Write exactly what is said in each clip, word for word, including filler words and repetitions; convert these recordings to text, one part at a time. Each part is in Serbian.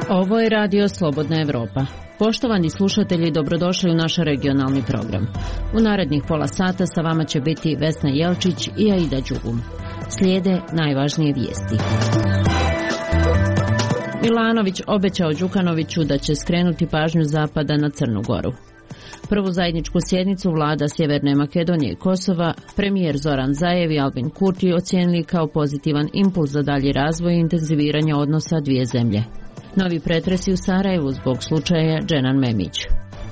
Ovo je Radio Slobodna Evropa. Poštovani slušatelji, dobrodošli u naš regionalni program. U narednih pola sata sa vama će biti Vesna Jelčić i Aida Đugum. Slijede najvažnije vijesti. Milanović obećao Đukanoviću da će skrenuti pažnju Zapada na Crnu Goru. Prvu zajedničku sjednicu vlada Sjeverne Makedonije i Kosova premijer Zoran Zaev i Albin Kurti ocijenili kao pozitivan impuls za dalji razvoj i intenziviranje odnosa dvije zemlje. Novi pretresi u Sarajevu zbog slučaja Dženan Memić.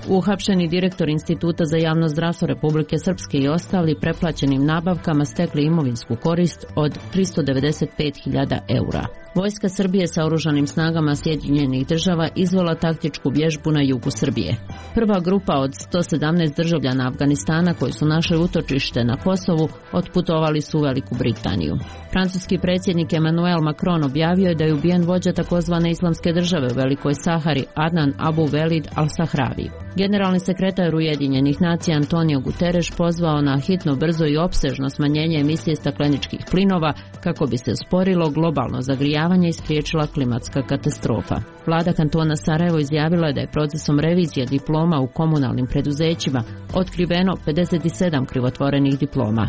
Uhapšeni direktor Instituta za javno zdravstvo Republike Srpske i ostali preplaćenim nabavkama stekli imovinsku korist od tristo devedeset pet hiljada eura. Vojska Srbije sa oružanim snagama Sjedinjenih država izvela taktičku vježbu na jugu Srbije. Prva grupa od sto sedamnaest državljana Afganistana koji su našli utočište na Kosovu otputovali su u Veliku Britaniju. Francuski predsjednik Emmanuel Macron objavio je da je ubijen vođa takozvane islamske države u Velikoj Sahari Adnan Abu Velid al-Sahravi. Generalni sekretar Ujedinjenih nacija Antonio Guterres pozvao na hitno, brzo i opsežno smanjenje emisije stakleničkih plinova kako bi se usporilo globalno zagrijavanje i spriječila klimatska katastrofa. Vlada kantona Sarajevo izjavila je da je procesom revizije diploma u komunalnim preduzećima otkriveno pedeset sedam krivotvorenih diploma.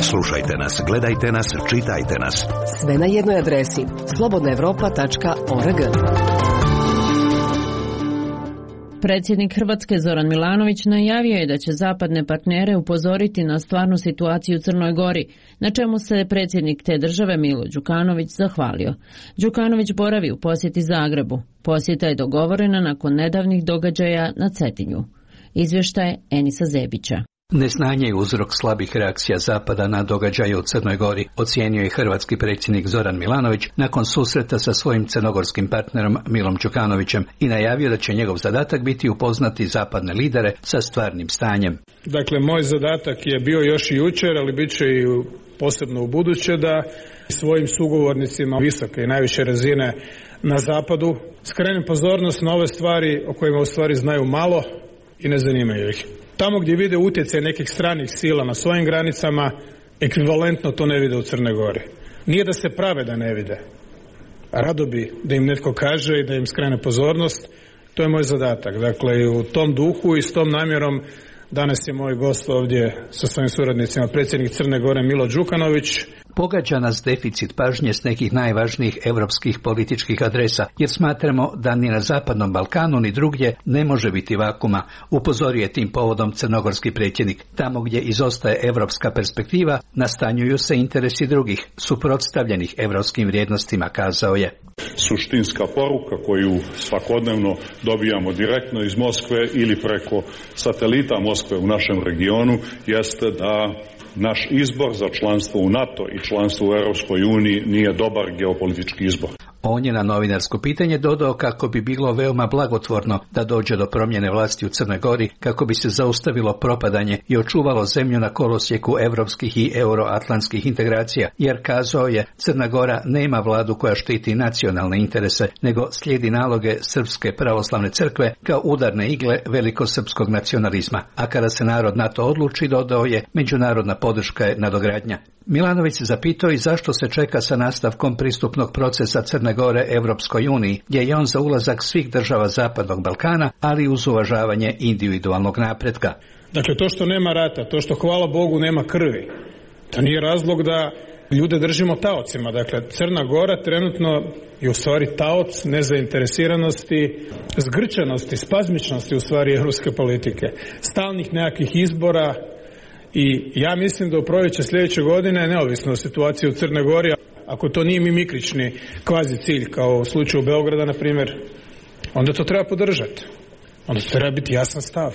Slušajte nas, gledajte nas, čitajte nas. Sve na jednoj adresi slobodna evropa tačka org. Predsjednik Hrvatske Zoran Milanović najavio je da će zapadne partnere upozoriti na stvarnu situaciju u Crnoj Gori, na čemu se predsjednik te države Milo Đukanović zahvalio. Đukanović boravi u posjeti Zagrebu. Posjeta je dogovorena nakon nedavnih događaja na Cetinju. Izvještaj Enisa Zebića. Neznanje je uzrok slabih reakcija Zapada na događaje u Crnoj Gori, ocijenio je hrvatski predsjednik Zoran Milanović nakon susreta sa svojim crnogorskim partnerom Milom Đukanovićem i najavio da će njegov zadatak biti upoznati zapadne lidere sa stvarnim stanjem. Dakle, moj zadatak je bio još i jučer, ali bit će i posebno u buduće da svojim sugovornicima visoke i najviše razine na Zapadu skrenem pozornost na ove stvari o kojima u stvari znaju malo i ne zanimaju ih. Tamo gdje vide utjecaj nekih stranih sila na svojim granicama, ekvivalentno to ne vide u Crnoj Gori. Nije da se prave da ne vide. Rado bi da im netko kaže i da im skrene pozornost. To je moj zadatak. Dakle, u tom duhu i s tom namjerom danas je moj gost ovdje sa svojim suradnicima, predsjednik Crne Gore Milo Đukanović. Pogađa nas deficit pažnje s nekih najvažnijih europskih političkih adresa, jer smatramo da ni na Zapadnom Balkanu ni drugdje ne može biti vakuma, upozorio je tim povodom crnogorski predsjednik. Tamo gdje izostaje europska perspektiva, nastanjuju se interesi drugih, suprotstavljenih europskim vrijednostima, kazao je. Suštinska poruka koju svakodnevno dobijamo direktno iz Moskve ili preko satelita Moskve u našem regionu jeste da naš izbor za članstvo u NATO i članstvo u Europskoj uniji nije dobar geopolitički izbor. On je na novinarsko pitanje dodao kako bi bilo veoma blagotvorno da dođe do promjene vlasti u Crnoj Gori kako bi se zaustavilo propadanje i očuvalo zemlju na kolosjeku europskih i euroatlantskih integracija, jer kazao je Crna Gora nema vladu koja štiti nacionalne interese, nego slijedi naloge Srpske pravoslavne crkve kao udarne igle velikosrpskog nacionalizma, a kada se narod na to odluči, dodao je, međunarodna podrška je nadogradnja. Milanović se zapitao i zašto se čeka sa nastavkom pristupnog procesa Crne Gore Evropskoj uniji, gdje je on za ulazak svih država Zapadnog Balkana, ali uz uvažavanje individualnog napretka. Dakle, to što nema rata, to što hvala Bogu nema krvi, to nije razlog da ljude držimo taocima. Dakle, Crna Gora trenutno je u stvari taoc nezainteresiranosti, zgrčanosti, spazmičnosti u stvari evropske politike, stalnih nekakvih izbora. I ja mislim da u proljeće sljedeće godine, neovisno o situaciji u Crnoj Gori, ako to nije mimikrični kvazi cilj, kao u slučaju Beograda, na primjer, onda to treba podržati. Onda to treba biti jasan stav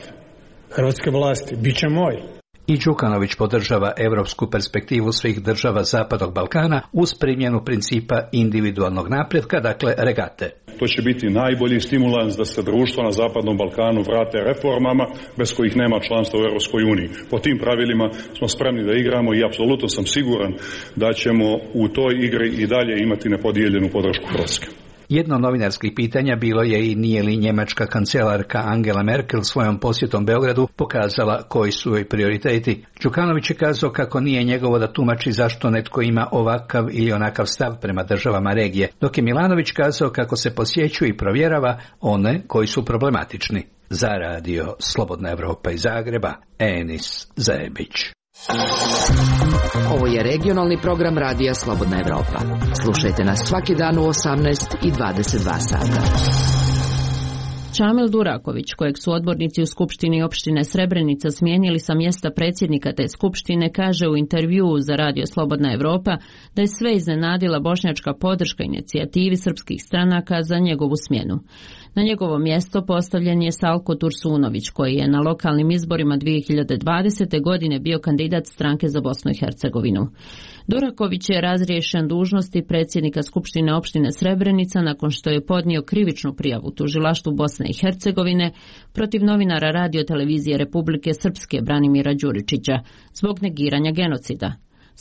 hrvatske vlasti. Biće moj. I Đukanović podržava europsku perspektivu svih država Zapadnog Balkana uz primjenu principa individualnog napretka, dakle regate. To će biti najbolji stimulans da se društva na Zapadnom Balkanu vrate reformama bez kojih nema članstva u Europskoj uniji. Po tim pravilima smo spremni da igramo i apsolutno sam siguran da ćemo u toj igri i dalje imati nepodijeljenu podršku Hrvatske. Jedno novinarskih pitanja bilo je i nije li njemačka kancelarka Angela Merkel svojom posjetom Beogradu pokazala koji su joj prioriteti. Đukanović je kazao kako nije njegovo da tumači zašto netko ima ovakav ili onakav stav prema državama regije, dok je Milanović kazao kako se posjećuje i provjerava one koji su problematični. Za radio Slobodna Evropa iz Zagreba, Enis Zajebić. Ovo je regionalni program radija Slobodna Evropa. Slušajte nas svaki dan u osamnaest i dvadeset dva sata. Čamil Duraković, kojeg su odbornici u Skupštini opštine Srebrenica smijenili sa mjesta predsjednika te skupštine, kaže u intervjuu za radio Slobodna Evropa da je sve iznenadila bošnjačka podrška inicijativi srpskih stranaka za njegovu smjenu. Na njegovo mjesto postavljen je Salko Tursunović, koji je na lokalnim izborima dvije hiljade dvadesete. godine bio kandidat stranke za Bosnu i Hercegovinu. Duraković je razriješen dužnosti predsjednika Skupštine opštine Srebrenica nakon što je podnio krivičnu prijavu tužilaštvu Bosne i Hercegovine protiv novinara Radio-televizije Republike Srpske Branimira Đuričića zbog negiranja genocida.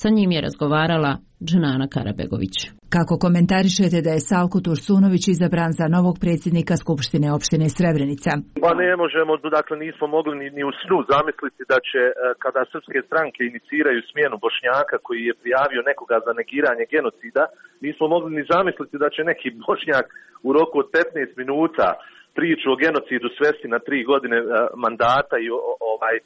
Sa njim je razgovarala Dženana Karabegović. Kako komentarišete da je Salko Tursunović izabran za novog predsjednika Skupštine opštine Srebrenica? Pa ne možemo, dakle nismo mogli ni, ni u snu zamisliti da će, kada srpske stranke iniciraju smjenu Bošnjaka koji je prijavio nekoga za negiranje genocida, nismo mogli ni zamisliti da će neki Bošnjak u roku od petnaest minuta priču o genocidu svesti na tri godine mandata i ovaj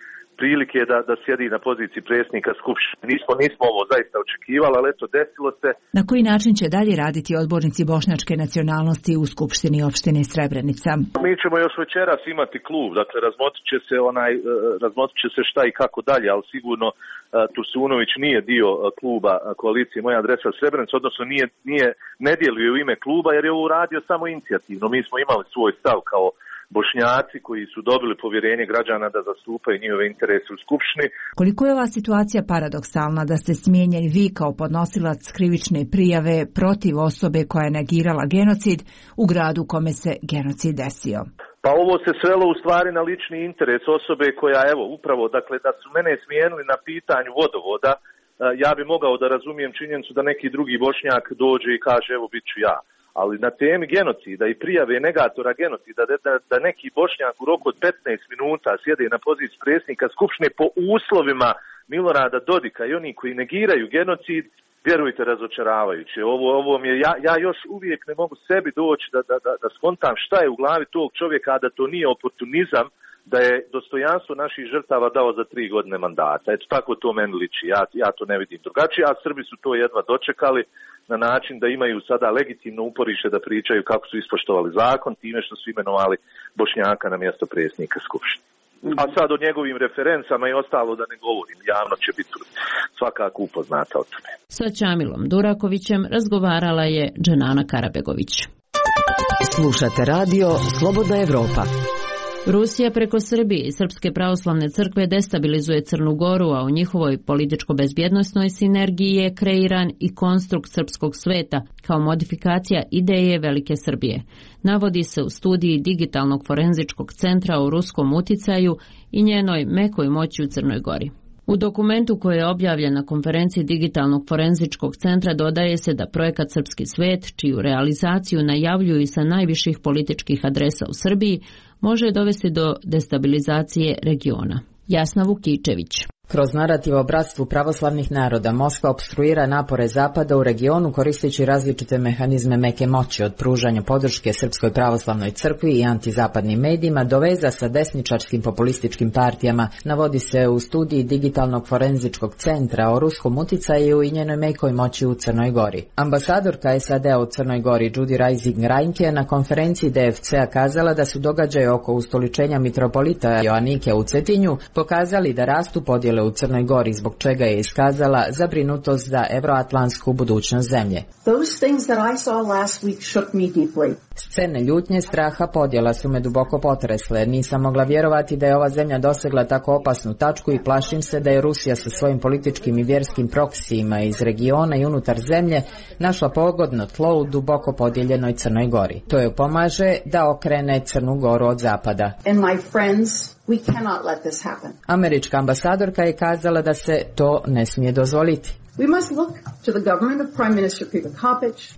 prilike da, da sjedi na poziciji predsjednika Skupštine. Nismo, nismo ovo zaista očekivali, ali eto, desilo se. Na koji način će dalje raditi odbornici bošnjačke nacionalnosti u Skupštini opštine Srebrenica? Mi ćemo još večeras imati klub, dakle razmotrit će se, onaj, razmotrit će se šta i kako dalje, ali sigurno Tursunović nije dio kluba koalicije Moja adresa Srebrenica, odnosno nije, nije, ne djeluje u ime kluba jer je ovo uradio samo inicijativno. Mi smo imali svoj stav kao Bošnjaci koji su dobili povjerenje građana da zastupaju njihove interese u Skupštini. Koliko je ova situacija paradoksalna da ste smijenjeni vi kao podnosilac krivične prijave protiv osobe koja je negirala genocid u gradu kome se genocid desio? Pa ovo se svelo u stvari na lični interes osobe koja, evo, upravo, dakle, da su mene smijenili na pitanju vodovoda, ja bi mogao da razumijem činjenicu da neki drugi Bošnjak dođe i kaže, evo, bit ću ja. Ali na temi genocida i prijave negatora genocida da, da, da neki Bošnjak u roku od petnaest minuta sjede na poziciji predsjednika Skupštine po uslovima Milorada Dodika i oni koji negiraju genocid, vjerujte, razočaravajuće. Ovo, ovo mi je, ja, ja još uvijek ne mogu sebi doći da, da, da, da skontam šta je u glavi tog čovjeka, a da to nije oportunizam, da je dostojanstvo naših žrtava dao za tri godine mandata. Eto, tako to meni liči. Ja, ja to ne vidim drugačije, a Srbi su to jedva dočekali na način da imaju sada legitimno uporište da pričaju kako su ispoštovali zakon time što su imenovali Bošnjaka na mjesto predsjednika Skupštine. A sad o njegovim referencama i ostalo da ne govorim, javno će biti svakako upoznata o tome. Sa Čamilom Durakovićem razgovarala je Dženana Karabegović. Slušate radio Slobodna Evropa. Rusija preko Srbije i Srpske pravoslavne crkve destabilizuje Crnu Goru, a u njihovoj političko-bezbjednosnoj sinergiji je kreiran i konstrukt srpskog sveta kao modifikacija ideje Velike Srbije. Navodi se u studiji Digitalnog forenzičkog centra o ruskom uticaju i njenoj mekoj moći u Crnoj Gori. U dokumentu koji je objavljen na konferenciji Digitalnog forenzičkog centra dodaje se da projekat Srpski svet, čiju realizaciju najavljuju i sa najviših političkih adresa u Srbiji, može dovesti do destabilizacije regiona. Jasna Vukičević. Kroz narativ o bratstvu pravoslavnih naroda Moskva opstruira napore Zapada u regionu koristeći različite mehanizme meke moći, od pružanja podrške Srpskoj pravoslavnoj crkvi i antizapadnim medijima do veza sa desničarskim populističkim partijama, navodi se u studiji Digitalnog forenzičkog centra o ruskom uticaju i njenoj mekoj moći u Crnoj Gori. Ambasadorka S A D-a u Crnoj Gori Judy Reising-Reinke na konferenciji D F C-a kazala da su događaje oko ustoličenja mitropolita Joanike u Cetinju pokazali da rastu podjele u Crnoj Gori, zbog čega je iskazala zabrinutost za evroatlantsku budućnost zemlje. Scene ljutnje, straha, podjela su me duboko potresle. Nisam mogla vjerovati da je ova zemlja dosegla tako opasnu tačku i plašim se da je Rusija sa svojim političkim i vjerskim proksijima iz regiona i unutar zemlje našla pogodno tlo u duboko podijeljenoj Crnoj Gori. To joj pomaže da okrene Crnu Goru od zapada. Američka ambasadorka je kazala da se to ne smije dozvoliti.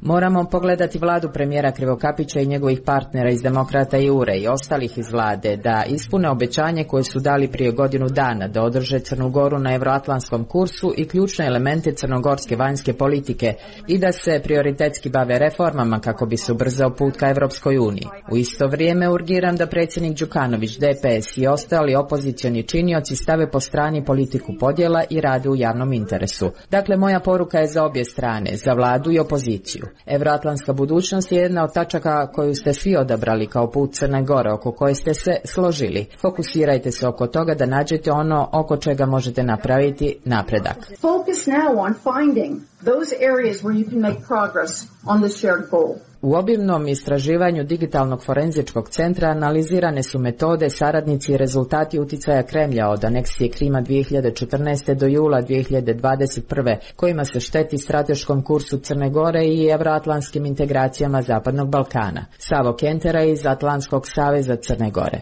Moramo pogledati vladu premijera Krivokapića i njegovih partnera iz Demokrata i U R E i ostalih iz vlade da ispune obećanje koje su dali prije godinu dana, da održe Crnu Goru na euroatlantskom kursu i ključne elemente crnogorske vanjske politike i da se prioritetski bave reformama kako bi se ubrzao put ka Evropskoj uniji. U isto vrijeme urgiram da predsjednik Đukanović, D P S i ostali opozicioni činioci stave po strani politiku podjela i rade u javnom interesu. Dakle, moja poruka je za obje strane, za vladu i opoziciju. Evroatlantska budućnost je jedna od tačaka koju ste svi odabrali kao put Crne Gore, oko koje ste se složili. Fokusirajte se oko toga da nađete ono oko čega možete napraviti napredak. Focus now on finding those areas where you can make progress on the shared goal. U obimnom istraživanju digitalnog forenzičkog centra analizirane su metode, saradnici i rezultati uticaja Kremlja od aneksije Krima dvije hiljade četrnaeste. do jula dvije hiljade dvadeset prve. kojima se šteti strateškom kursu Crne Gore i evroatlantskim integracijama Zapadnog Balkana. Savo Kentera iz Atlantskog saveza Crne Gore.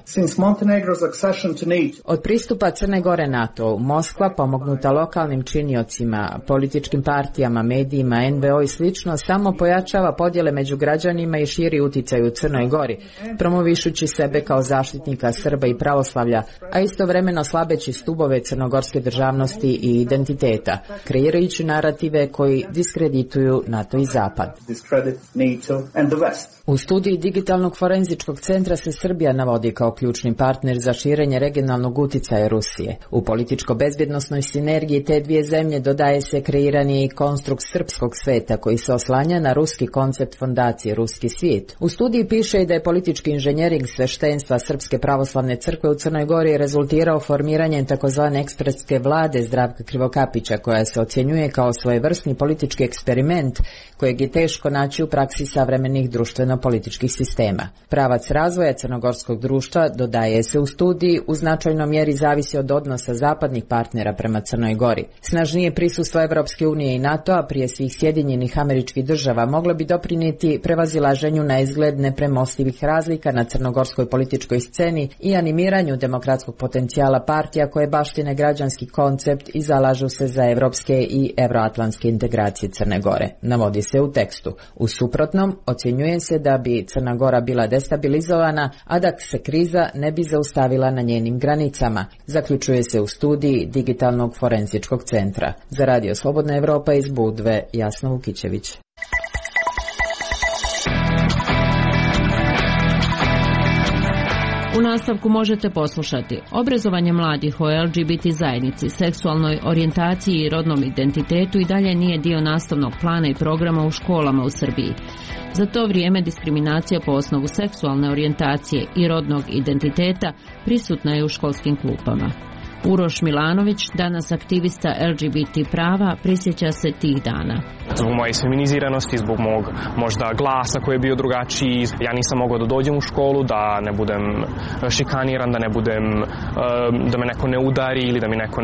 Od pristupa Crne Gore NATO, Moskva, pomognuta lokalnim činiocima, političkim partijama, medijima, N V O i slično, samo pojačava podjele među građanima i širi uticaj u Crnoj Gori, promovišući sebe kao zaštitnika Srba i pravoslavlja, a istovremeno slabeći stubove crnogorske državnosti i identiteta, kreirajući narative koji diskredituju NATO i Zapad. U studiji digitalnog forenzičkog centra se Srbija navodi kao ključni partner za širenje regionalnog uticaja Rusije. U političko-bezbjednosnoj sinergiji te dvije zemlje dodaje se kreirani konstrukt srpskog sveta koji se oslanja na ruski koncept fondacije Ruski svijet. U studiji piše i da je politički inženjering sveštenstva Srpske pravoslavne crkve u Crnoj Gori rezultirao formiranjem takozvane ekspertske vlade Zdravka Krivokapića, koja se ocjenjuje kao svojevrsni politički eksperiment kojeg je teško naći u praksi savremenih društveno-političkih sistema. Pravac razvoja crnogorskog društva, dodaje se u studiji, u značajnoj mjeri zavisi od odnosa zapadnih partnera prema Crnoj Gori. Snažnije prisustvo Evropske unije i NATO-a, prije svih Sjedinjenih Američkih Država, moglo bi doprinijeti prevazilaženju na izgled nepremostivih razlika na crnogorskoj političkoj sceni i animiranju demokratskog potencijala partija koje baštine građanski koncept i zalažu se za evropske i evroatlantske integracije Crne Gore, navodi se u tekstu. U suprotnom, ocjenjuje se da bi Crna Gora bila destabilizovana, a da se kriza ne bi zaustavila na njenim granicama, zaključuje se u studiji digitalnog forenzičkog centra. Za Radio Slobodna Evropa iz Budve, Jasna Vukićević. U nastavku možete poslušati obrazovanje mladih o L G B T zajednici, seksualnoj orijentaciji i rodnom identitetu i dalje nije dio nastavnog plana i programa u školama u Srbiji. Za to vrijeme diskriminacija po osnovu seksualne orijentacije i rodnog identiteta prisutna je u školskim klupama. Uroš Milanović, danas aktivista L G B T prava, prisjeća se tih dana. Zbog moje feminiziranosti, zbog mog možda glasa koji je bio drugačiji, ja nisam mogao da dođem u školu, da ne budem šikaniran, da ne budem, da me neko ne udari ili da mi neko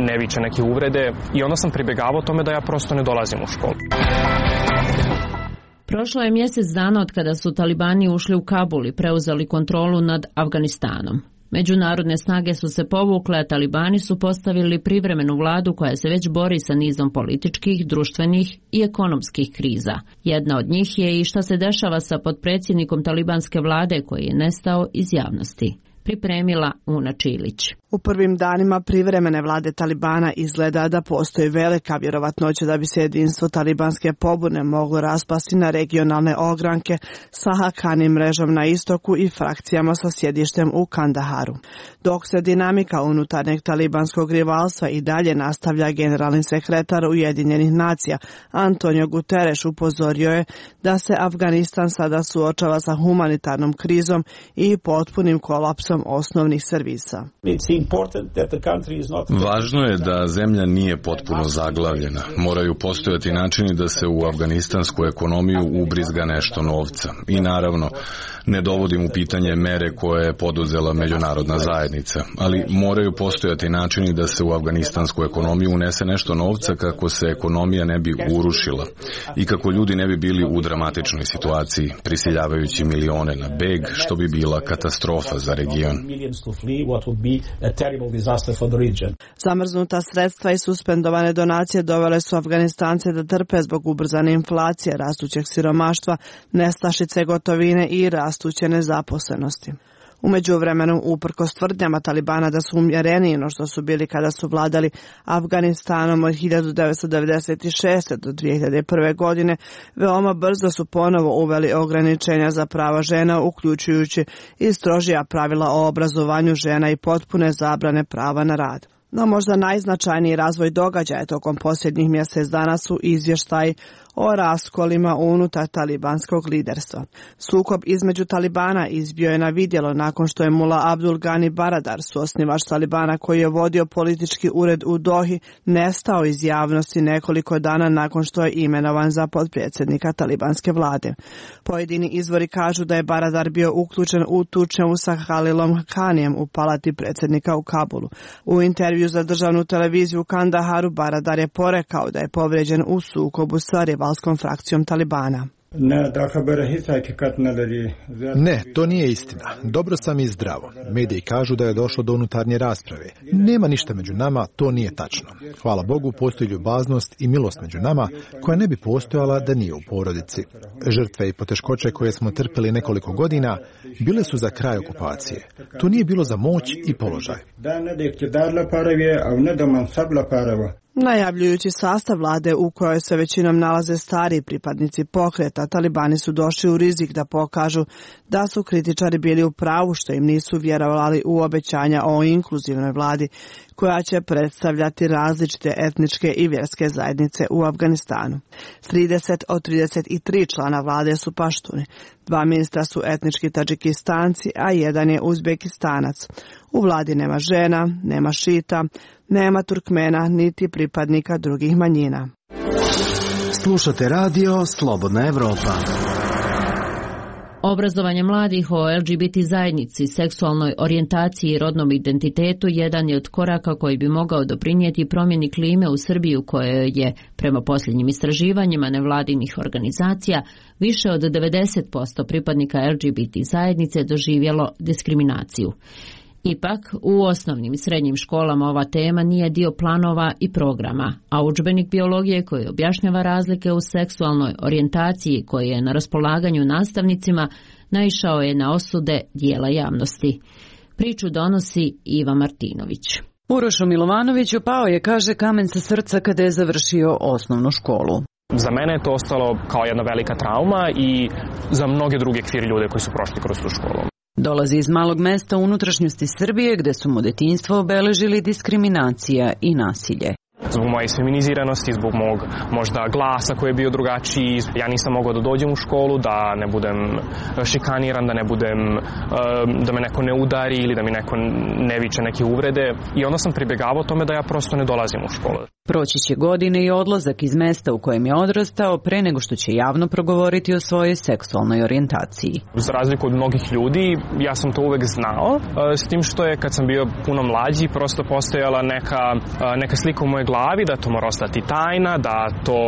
ne viče neke uvrede. I onda sam pribjegavao tome da ja prosto ne dolazim u školu. Prošlo je mjesec dana od kada su talibani ušli u Kabul i preuzeli kontrolu nad Afganistanom. Međunarodne snage su se povukle, a talibani su postavili privremenu vladu koja se već bori sa nizom političkih, društvenih i ekonomskih kriza. Jedna od njih je i šta se dešava sa potpredsjednikom talibanske vlade koji je nestao iz javnosti. Pripremila Una Čilić. U prvim danima privremene vlade Talibana izgleda da postoji velika vjerovatnoća da bi se jedinstvo talibanske pobune moglo raspasti na regionalne ogranke sa Hakani mrežom na istoku i frakcijama sa sjedištem u Kandaharu. Dok se dinamika unutarnjeg talibanskog rivalstva i dalje nastavlja, generalni sekretar Ujedinjenih nacija Antonio Guterres upozorio je da se Afganistan sada suočava sa humanitarnom krizom i potpunim kolapsom osnovnih servisa. Važno je da zemlja nije potpuno zaglavljena. Moraju postojati načini da se u afganistansku ekonomiju ubrizga nešto novca. I naravno, ne dovodim u pitanje mere koje je poduzela međunarodna zajednica, ali moraju postojati načini da se u afganistansku ekonomiju unese nešto novca kako se ekonomija ne bi urušila i kako ljudi ne bi bili u dramatičnoj situaciji, prisiljavajući milione na beg, što bi bila katastrofa za region. region. Zamrznuta sredstva i suspendovane donacije dovele su Afganistance da trpe zbog ubrzane inflacije, rastućeg siromaštva, nestašice gotovine i rastuće nezaposlenosti. U međuvremenu, uprkos tvrdnjama Talibana da su umjereniji no što su bili kada su vladali Afganistanom od hiljadu devetsto devedeset šeste. do dvije hiljade prve. godine, veoma brzo su ponovo uveli ograničenja za prava žena, uključujući i strožija pravila o obrazovanju žena i potpune zabrane prava na rad. No možda najznačajniji razvoj događaja tokom posljednjih mjesec dana su izvještaji o raskolima unutar talibanskog liderstva. Sukob između Talibana izbio je na vidjelo nakon što je Mula Abdul Ghani Baradar, suosnivač Talibana koji je vodio politički ured u Dohi, nestao iz javnosti nekoliko dana nakon što je imenovan za potpredsjednika talibanske vlade. Pojedini izvori kažu da je Baradar bio uključen u tučnjavu sa Halilom Khanijem u palati predsjednika u Kabulu. U intervju za državnu televiziju u Kandaharu Baradar je porekao da je povrijeđen u sukobu sa rivalskom frakcijom Talibana. Ne, to nije istina. Dobro sam i zdravo. Mediji kažu da je došlo do unutarnje rasprave. Nema ništa među nama, to nije tačno. Hvala Bogu, postoji ljubaznost i milost među nama koja ne bi postojala da nije u porodici. Žrtve i poteškoće koje smo trpeli nekoliko godina bile su za kraj okupacije. To nije bilo za moć i položaj. Najavljujući sastav vlade u kojoj se većinom nalaze stari pripadnici pokreta, Talibani su došli u rizik da pokažu da su kritičari bili u pravu što im nisu vjerovali u obećanja o inkluzivnoj vladi koja će predstavljati različite etničke i vjerske zajednice u Afganistanu. trideset od trideset tri člana vlade su paštuni. Dva ministra su etnički Tadžikistanci, a jedan je Uzbekistanac. U vladi nema žena, nema šita, nema Turkmena, niti pripadnika drugih manjina. Slušate radio Slobodna Evropa. Obrazovanje mladih o L G B T zajednici, seksualnoj orijentaciji i rodnom identitetu jedan je od koraka koji bi mogao doprinijeti promjeni klime u Srbiji u kojoj je, prema posljednjim istraživanjima nevladinih organizacija, više od devedeset posto pripadnika L G B T zajednice doživjelo diskriminaciju. Ipak, u osnovnim i srednjim školama ova tema nije dio planova i programa, a udžbenik biologije koji objašnjava razlike u seksualnoj orijentaciji koji je na raspolaganju nastavnicima naišao je na osude dijela javnosti. Priču donosi Iva Martinović. Urošu Milovanoviću pao je, kaže, kamen sa srca kada je završio osnovnu školu. Za mene je to ostalo kao jedna velika trauma i za mnoge druge kvir ljude koji su prošli kroz tu školu. Dolazi iz malog mesta u unutrašnjosti Srbije gde su mu detinjstvo obeležili diskriminacija i nasilje. Zbog moje feminiziranosti, zbog mog možda glasa koji je bio drugačiji, ja nisam mogao da dođem u školu, da ne budem šikaniran, da ne budem, da me neko ne udari ili da mi neko ne viče neke uvrede. I onda sam pribjegavao tome da ja prosto ne dolazim u školu. Proći će godine i odlazak iz mesta u kojem je odrastao pre nego što će javno progovoriti o svojoj seksualnoj orijentaciji. Za razliku od mnogih ljudi, ja sam to uvek znao, s tim što je kad sam bio puno mlađi prosto postojala neka, neka slika u mojoj glavi da to mora ostati tajna, da to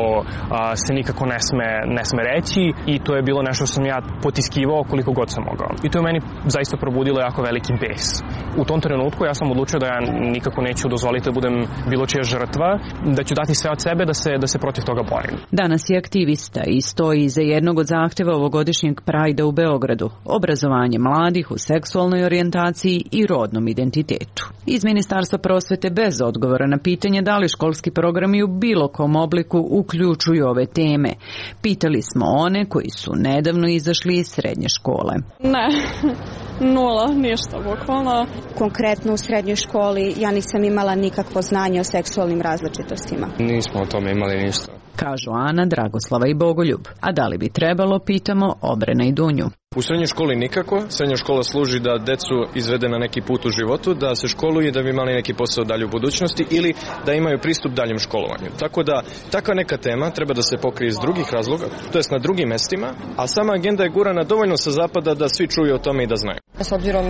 a, se nikako ne sme, ne sme reći i to je bilo nešto što sam ja potiskivao koliko god sam mogao. I to je meni zaista probudilo jako veliki bes. U tom trenutku ja sam odlučio da ja nikako neću dozvoliti da budem bilo čija žrtva, da ću dati sve od sebe da se, da se protiv toga borim. Danas je aktivista i stoji iza jednog od zahtjeva ovogodišnjeg Prajda u Beogradu, obrazovanje mladih u seksualnoj orijentaciji i rodnom identitetu. Iz Ministarstva prosvete bez odgovora na pitanje da li školski programi u bilo kom obliku uključuju ove teme. Pitali smo one koji su nedavno izašli iz srednje škole. Ne, nula, ništa, bukvalno. Konkretno u srednjoj školi ja nisam imala nikakvo znanje o seksualnim različitostima. Nismo o tome imali ništa. Kažu Ana, Dragoslava i Bogoljub. A da li bi trebalo, pitamo Obrena i Dunju. U srednjoj školi nikako. Srednja škola služi da decu izvede na neki put u životu, da se školuju i da bi imali neki posao dalje u budućnosti ili da imaju pristup daljem školovanju. Tako da takva neka tema treba da se pokrije iz drugih razloga, to jest na drugim mestima, a sama agenda je gurana dovoljno sa zapada da svi čuju o tome i da znaju. S obzirom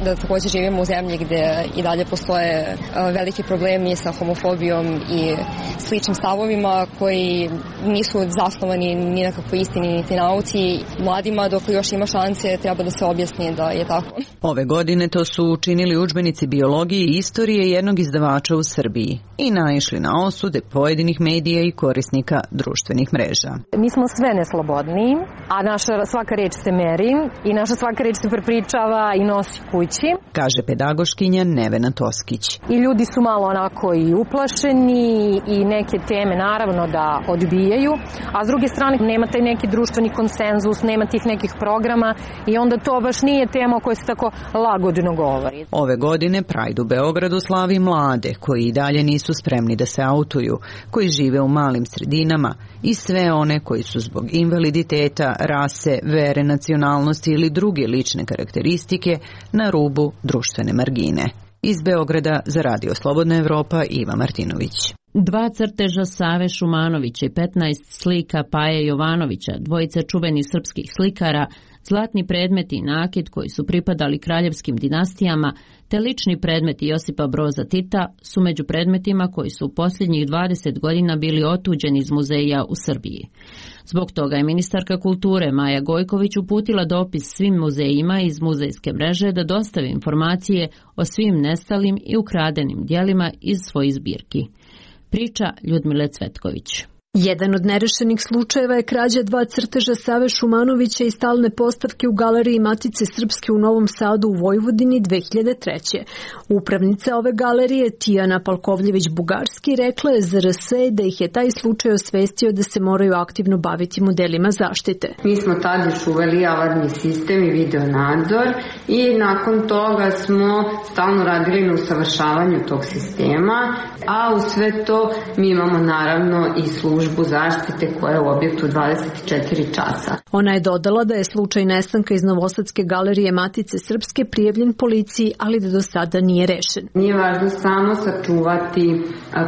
da također živimo u zemlji gde i dalje postoje veliki problemi sa homofobijom i sličnim stavovima koji nisu zasnovani ni na kakvoj istini niti nauci, mladima dok još ima nema šanse, treba da se objasni da je tako. Ove godine to su učinili udžbenici biologije i istorije jednog izdavača u Srbiji i naišli na osude pojedinih medija i korisnika društvenih mreža. Mi smo sve neslobodniji, a naša svaka reč se meri i naša svaka reč se prepričava i nosi kući, kaže pedagoškinja Nevena Toskić. I ljudi su malo onako i uplašeni i neke teme naravno da odbijaju, a s druge strane nema taj neki društveni konsenzus, nema tih nekih programa i onda to baš nije tema o kojoj se tako lagodno govori. Ove godine Pride u Beogradu slavi mlade koji i dalje nisu spremni da se autuju, koji žive u malim sredinama i sve one koji su zbog invaliditeta, rase, vere, nacionalnosti ili druge lične karakteristike na rubu društvene margine. Iz Beograda za Radio Slobodna Evropa Iva Martinović. Dva crteža Save Šumanovića i petnaest slika Paje Jovanovića, dvojice čuvenih srpskih slikara, zlatni predmeti i nakit koji su pripadali kraljevskim dinastijama, te lični predmeti Josipa Broza Tita su među predmetima koji su u posljednjih dvadeset godina bili otuđeni iz muzeja u Srbiji. Zbog toga je ministarka kulture Maja Gojković uputila dopis svim muzejima iz muzejske mreže da dostave informacije o svim nestalim i ukradenim dijelima iz svojih zbirki. Priča Ljudmile Cvetković. Jedan od nerešenih slučajeva je krađa dva crteža Save Šumanovića i stalne postavke u galeriji Matice Srpske u Novom Sadu u Vojvodini dve hiljade treće. Upravnica ove galerije, Tijana Palkovljević-Bugarski, rekla je za er es da ih je taj slučaj osvestio da se moraju aktivno baviti modelima zaštite. Mi smo tada još uveli alarmni sistem i video nadzor i nakon toga smo stalno radili na usavršavanju tog sistema, a u sve to mi imamo naravno i službu zaštite koja je u objektu dvadeset četiri časa. Ona je dodala da je slučaj nestanka iz Novosadske galerije Matice Srpske prijavljen policiji, ali da do sada nije rešen. Nije važno samo sačuvati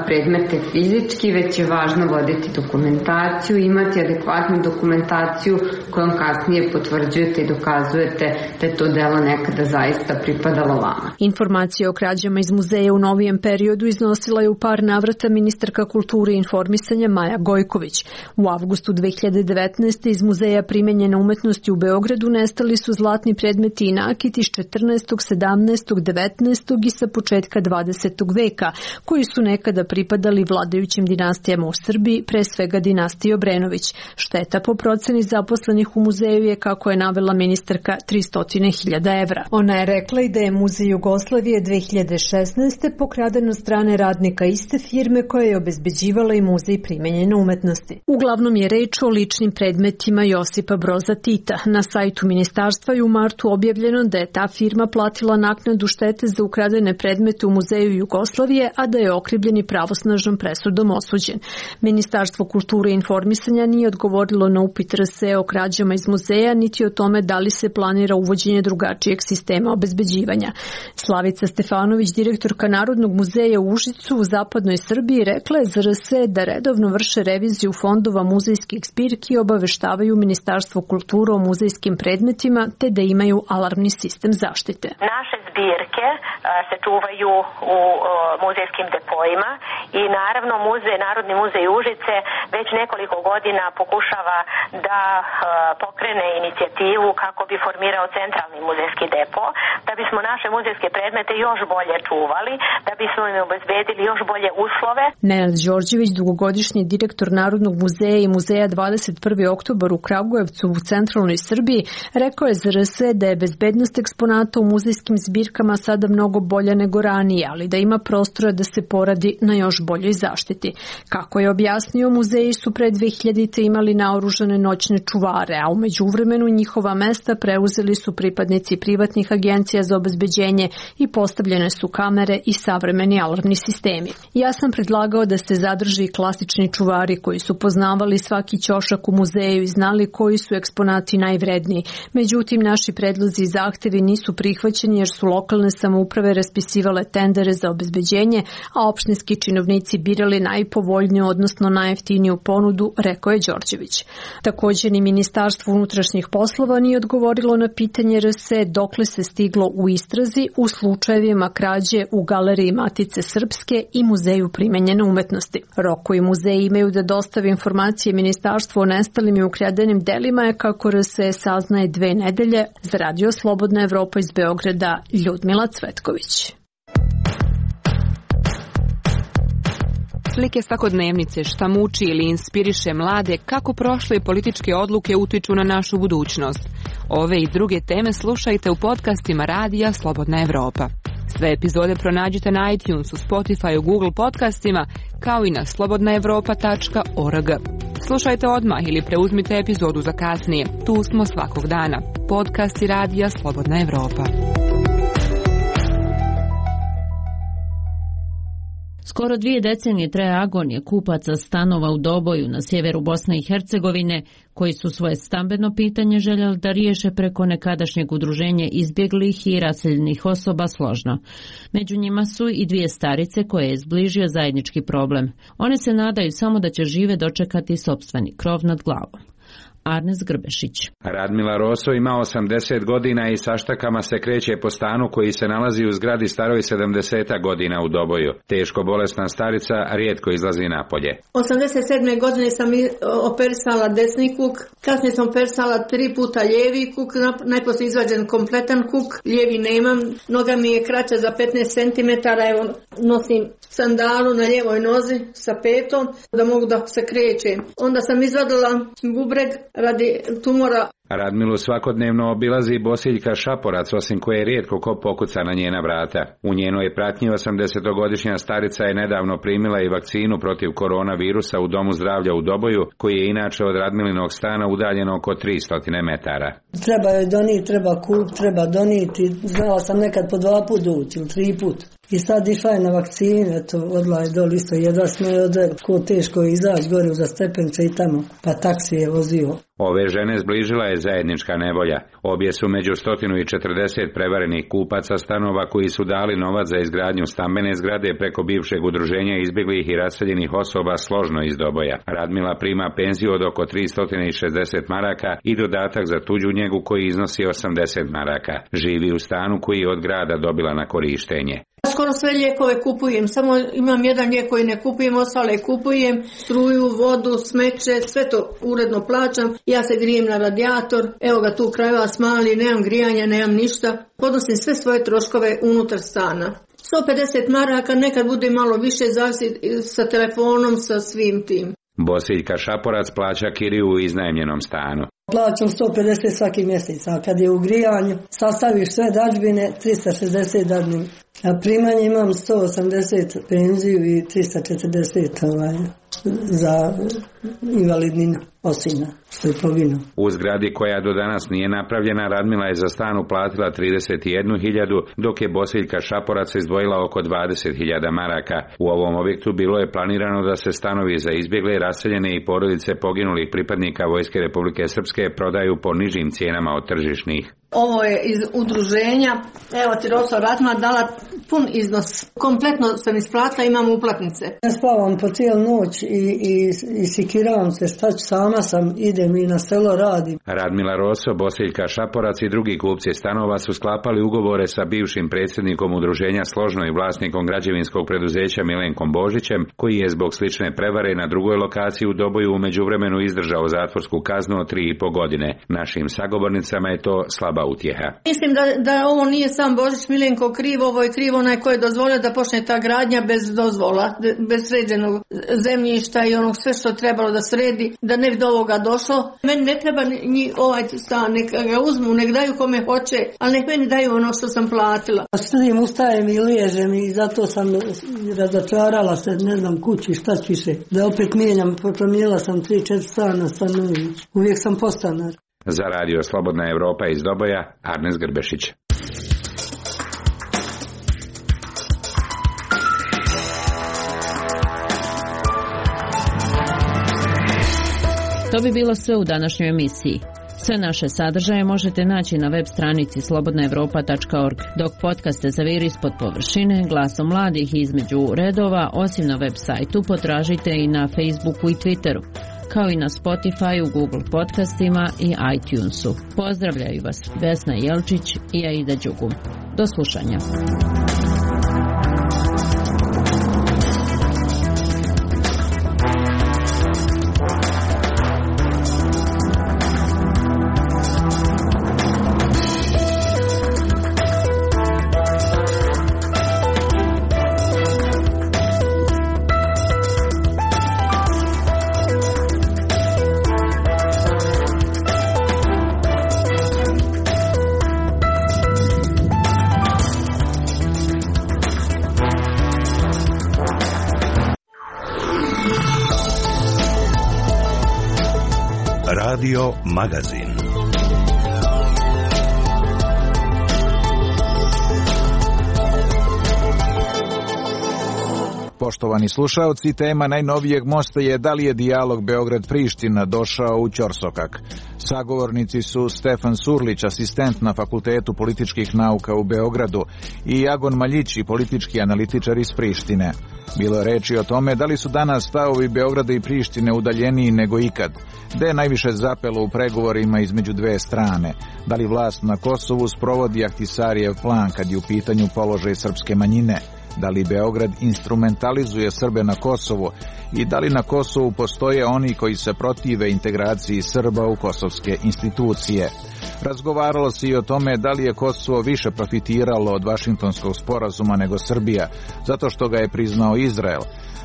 predmete fizički, već je važno voditi dokumentaciju, imati adekvatnu dokumentaciju kojom kasnije potvrđujete i dokazujete da je to delo nekada zaista pripadalo vama. Informacije o krađama iz muzeja u novijem periodu iznosila je u par navrata ministarka kulture i informisanja Maja Gojković. U avgustu dve hiljade devetnaeste. iz Muzeja primenjene umetnosti u Beogradu nestali su zlatni predmeti i nakit iz četrnaestog, sedamnaestog, devetnaestog i sa početka dvadesetog veka, koji su nekada pripadali vladajućim dinastijama u Srbiji, pre svega dinastiji Obrenović. Šteta po proceni zaposlenih u muzeju je, kako je navela ministarka, tristo hiljada evra. Ona je rekla i da je Muzej Jugoslavije dve hiljade šesnaeste. pokraden od strane radnika iste firme koja je obezbeđivala i Muzej primenjene umetnosti. Uglavnom je reč o ličnim predmetima Josipa Broza Tita. Na sajtu ministarstva je u martu objavljeno da je ta firma platila naknadu štete za ukradene predmete u Muzeju Jugoslavije, a da je okrivljeni pravosnažnom presudom osuđen. Ministarstvo kulture i informisanja nije odgovorilo na upit er es o krađama iz muzeja, niti o tome da li se planira uvođenje drugačijeg sistema obezbeđivanja. Slavica Stefanović, direktorka Narodnog muzeja u Užicu u zapadnoj Srbiji, rekla je za er es da redovno vrše reviziju fondova muzejskih zbirki i obaveštavaju Ministarstvo kulture o muzejskim predmetima, te da imaju alarmni sistem zaštite. Naše zbirke se čuvaju u muzejskim depojima i naravno muzej, Narodni muzej Užice već nekoliko godina pokušava da pokrene inicijativu kako bi formirao centralni muzejski depo, da bismo naše muzejske predmete još bolje čuvali, da bismo im obezbedili još bolje uslove. Nenad Đorđević, dugogodišnji direktor Narodnog muzeja i muzeja dvadeset prvi oktobar u Kragujevcu u centralnoj Srbiji, rekao je za er es da je bezbednost eksponata u muzejskim zbirkama sada mnogo bolja nego ranije, ali da ima prostora da se poradi na još boljoj zaštiti. Kako je objasnio, muzeji su pre dve hiljadite. imali naoružane noćne čuvare, a u međuvremenu njihova mesta preuzeli su pripadnici privatnih agencija za obezbeđenje i postavljene su kamere i savremeni alarmni sistemi. Ja sam predlagao da se zadrži klasični čuvari koji su poznavali svaki ćošak u muzeju i znali koji su eksponati najvredniji. Međutim, naši predlozi i zahtevi nisu prihvaćeni jer su lokalne samouprave raspisivale tendere za obezbeđenje, a opštinski činovnici birali najpovoljniju, odnosno najjeftiniju ponudu, rekao je Đorđević. Također ni Ministarstvo unutrašnjih poslova nije odgovorilo na pitanje er es dokle se stiglo u istrazi u slučajevima krađe u galeriji Matice Srpske i Muzeju primenjene umetnosti. Roko i muzeji imaju trebaju da dostavi informacije ministarstvu o nestalim i ukradenim delima je, kako R S E saznaje, dve nedelje. Za Radio Slobodna Evropa iz Beograda, Ljudmila Cvetković. Slike svakodnevnice, šta muči ili inspiriše mlade, kako prošle političke odluke utiču na našu budućnost. Ove i druge teme slušajte u podcastima Radija Slobodna Evropa. Sve epizode pronađite na iTunesu, Spotify, Google podcastima, kao i na slobodna evropa tačka org. Slušajte odmah ili preuzmite epizodu za kasnije. Tu smo svakog dana. Podcasti Radija Slobodna Evropa. Skoro dvije decenije traje agonija kupaca stanova u Doboju na sjeveru Bosne i Hercegovine, koji su svoje stambeno pitanje željeli da riješe preko nekadašnjeg udruženja izbjeglih i raseljenih osoba Složno. Među njima su i dvije starice koje je zbližio zajednički problem. One se nadaju samo da će žive dočekati sopstveni krov nad glavom. Arnes Grbešić. Radmila Roso ima osamdeset godina i saštakama se kreće po stanu koji se nalazi u zgradi staroj sedamdeset godina u Doboju. Teško bolesna starica rijetko izlazi napolje. osamdeset sedme godine sam operisala desni kuk, kasnije sam operisala tri puta lijevi kuk, najposlije izvađen kompletan kuk, lijevi nemam, noga mi je kraća za petnaest centimetara, evo nosim sandalu na lijevoj nozi sa petom da mogu da se krećem. Onda sam izvadila bubreg radi tumora. Radmilu svakodnevno obilazi Bosiljka Šaporac, osim koje rijetko ko pokuca na njena vrata. U njenoj pratnji osamdesetogodišnja starica je nedavno primila i vakcinu protiv koronavirusa u Domu zdravlja u Doboju, koji je inače od Radmilinog stana udaljen oko tristo metara. Treba joj doniti, treba kup, treba doniti. Znala sam nekad po dva put doći, ili tri put. I sad išla je na vakcine, eto, odla je doli isto, jedva smo je odred, ko teško je izaći gore za stepence i tamo, pa taksi je vozio. Ove žene zbližila je zajednička nevolja. Obje su među sto četrdeset prevarenih kupaca stanova koji su dali novac za izgradnju stambene zgrade preko bivšeg udruženja izbjeglih i raseljenih osoba Složno iz Doboja. Radmila prima penziju od oko tristo šezdeset maraka i dodatak za tuđu njegu koji iznosi osamdeset maraka. Živi u stanu koji je od grada dobila na korištenje. Skoro sve lijekove kupujem, samo imam jedan lijek koji ne kupujem, ostale kupujem, struju, vodu, smeće, sve to uredno plaćam. Ja se grijem na radijator, evo ga tu kraj vas mali, nemam grijanja, nemam ništa. Podnosim sve svoje troškove unutar stana. sto pedeset maraka, nekad bude malo više, zavisi sa telefonom, sa svim tim. Bosiljka Šaporac plaća kiriju u iznajmljenom stanu. Plaćam sto pedeset svaki mjesec, a kad je u grijanju, sastaviš sve dažbine, trista šezdeset dadnim. A primanje imam sto osamdeset penziju i trista četrdeset ovaj, za invalidninu osina, što je poginuo. U zgradi koja do danas nije napravljena, Radmila je za stan uplatila trideset jednu hiljadu, dok je Bosiljka Šaporac izdvojila oko dvadeset hiljada maraka. U ovom objektu bilo je planirano da se stanovi za izbjegle, raseljene i porodice poginulih pripadnika Vojske Republike Srpske prodaju po nižim cijenama od tržišnih. Ovo je iz udruženja, evo ti Roso Radmila dala pun iznos. Kompletno sam isplatila, imam uplatnice. Ja spavam po cijelu noć i, i, i sikiravam se, šta ću, sama sam, idem i na selo radim. Radmila Roso, Bosiljka Šaporac i drugi kupci stanova su sklapali ugovore sa bivšim predsjednikom udruženja Složno i vlasnikom građevinskog preduzeća Milenkom Božićem, koji je zbog slične prevare na drugoj lokaciji u Doboju u međuvremenu izdržao zatvorsku kaznu od tri i po godine. Našim sagovornicama je to slaba utjeha. Mislim da, da ovo nije sam Božić Milenko kriv, ovo je kriv onaj koji je dozvolio da počne ta gradnja bez dozvola, bez sređenog zemljišta i onog sve što trebalo da sredi, da ne bi do ovoga došlo. Meni ne treba ni ovaj stan, nek ga uzmu, nek daju kome hoće, ali nek meni daju ono što sam platila. Studim, ustajem i liježem i zato sam razočarala se, ne znam, kući, šta ću više. Da opet mijenjam, promijenila sam tri četiri stana, stanovi. Uvijek sam postanar. Za Radio Slobodna Evropa iz Doboja, Arnes Grbešić. To bi bilo sve u današnjoj emisiji. Sve naše sadržaje možete naći na web stranici slobodna evropa tačka org, dok podcaste za vir ispod površine, glasom mladih i između redova, osim na web sajtu, potražite i na Facebooku i Twitteru, kao i na Spotify, Google podcastima i iTunesu. Pozdravljaju vas Vesna Jelčić i Aida Đugum. Do slušanja. Radio Magazin. Poštovani slušaoci, tema najnovijeg mosta je da li je dijalog Beograd-Priština došao u ćorsokak. Sagovornici su Stefan Surlić, asistent na Fakultetu političkih nauka u Beogradu, i Agon Maljići, politički analitičar iz Prištine. Bilo je reči o tome da li su danas stavovi Beograda i Prištine udaljeniji nego ikad, da je najviše zapelo u pregovorima između dve strane, da li vlast na Kosovu sprovodi Ahtisarijev plan kad je u pitanju položaj srpske manjine, da li Beograd instrumentalizuje Srbe na Kosovu i da li na Kosovu postoje oni koji se protive integraciji Srba u kosovske institucije. Razgovaralo se i o tome da li je Kosovo više profitiralo od Vašingtonskog sporazuma nego Srbija, zato što ga je priznao Izrael.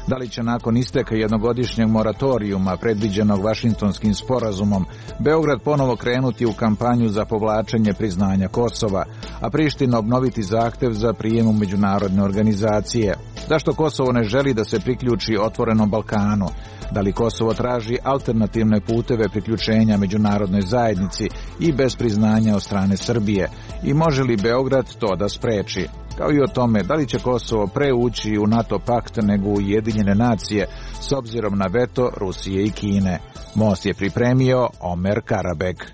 Da li će nakon isteka jednogodišnjeg moratorijuma predviđenog Vašingtonskim sporazumom Beograd ponovo krenuti u kampanju za povlačenje priznanja Kosova, a Priština obnoviti zahtev za prijem u međunarodne organizacije? Zašto Kosovo ne želi da se priključi otvorenom Balkanu? Da li Kosovo traži alternativne puteve priključenja međunarodnoj zajednici i bez priznanja od strane Srbije? I može li Beograd to da spreči? Kao i o tome da li će Kosovo pre ući u NATO pakt nego u Ujedinjene nacije s obzirom na veto Rusije i Kine. Most je pripremio Omer Karabek.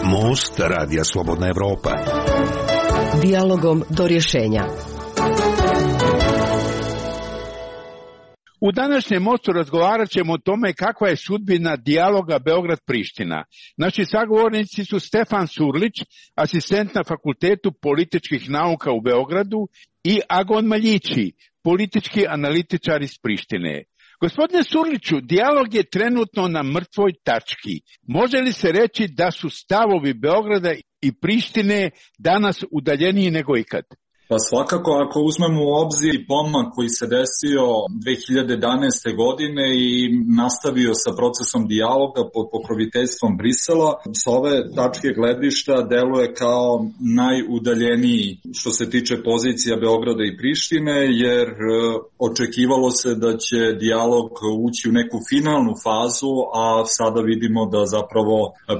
Most Radija Slobodna Evropa. Dijalogom do rješenja. U današnjem mostu razgovarat ćemo o tome kakva je sudbina dijaloga Beograd-Priština. Naši sagovornici su Stefan Surlić, asistent na Fakultetu političkih nauka u Beogradu, i Agon Maljići, politički analitičar iz Prištine. Gospodine Surliću, dijalog je trenutno na mrtvoj tački. Može li se reći da su stavovi Beograda i Prištine danas udaljeniji nego ikad? Pa svakako, ako uzmemo u obzir pomak koji se desio dve hiljade jedanaeste. godine i nastavio sa procesom dijaloga pod pokroviteljstvom Brisela, s ove tačke gledišta deluje kao najudaljeniji što se tiče pozicija Beograda i Prištine, jer očekivalo se da će dijalog ući u neku finalnu fazu, a sada vidimo da zapravo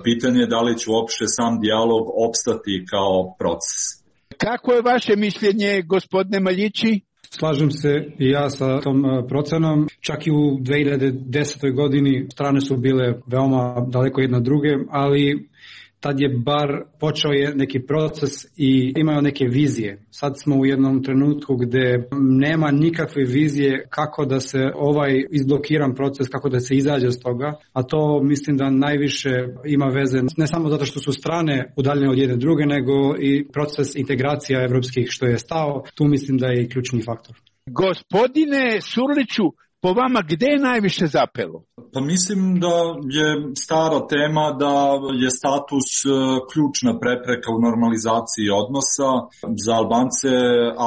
pitanje da li će uopšte sam dijalog opstati kao proces. Kako je vaše mišljenje, gospodine Maljići? Slažem se i ja sa tom procenom. Čak i u dve hiljade desetoj. godini strane su bile veoma daleko jedna druge, ali tad je bar počeo je neki proces i imao neke vizije. Sad smo u jednom trenutku gde nema nikakve vizije kako da se ovaj izblokiran proces, kako da se izađe s toga, a to mislim da najviše ima veze ne samo zato što su strane udaljene od jedne druge, nego i proces integracija evropskih što je stao. Tu mislim da je i ključni faktor. Gospodine Surliću, po vama gde je najviše zapelo? Pa mislim da je stara tema da je status ključna prepreka u normalizaciji odnosa. Za Albance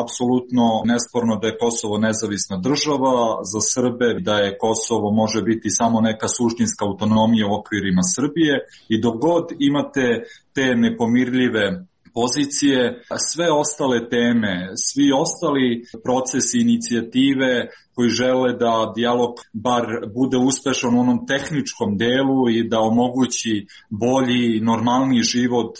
apsolutno nesporno da je Kosovo nezavisna država, za Srbe da je Kosovo može biti samo neka suštinska autonomija u okvirima Srbije, i dok god imate te nepomirljive pozicije, sve ostale teme, svi ostali procesi, inicijative koji žele da dijalog bar bude uspešan u onom tehničkom delu i da omogući bolji, normalniji život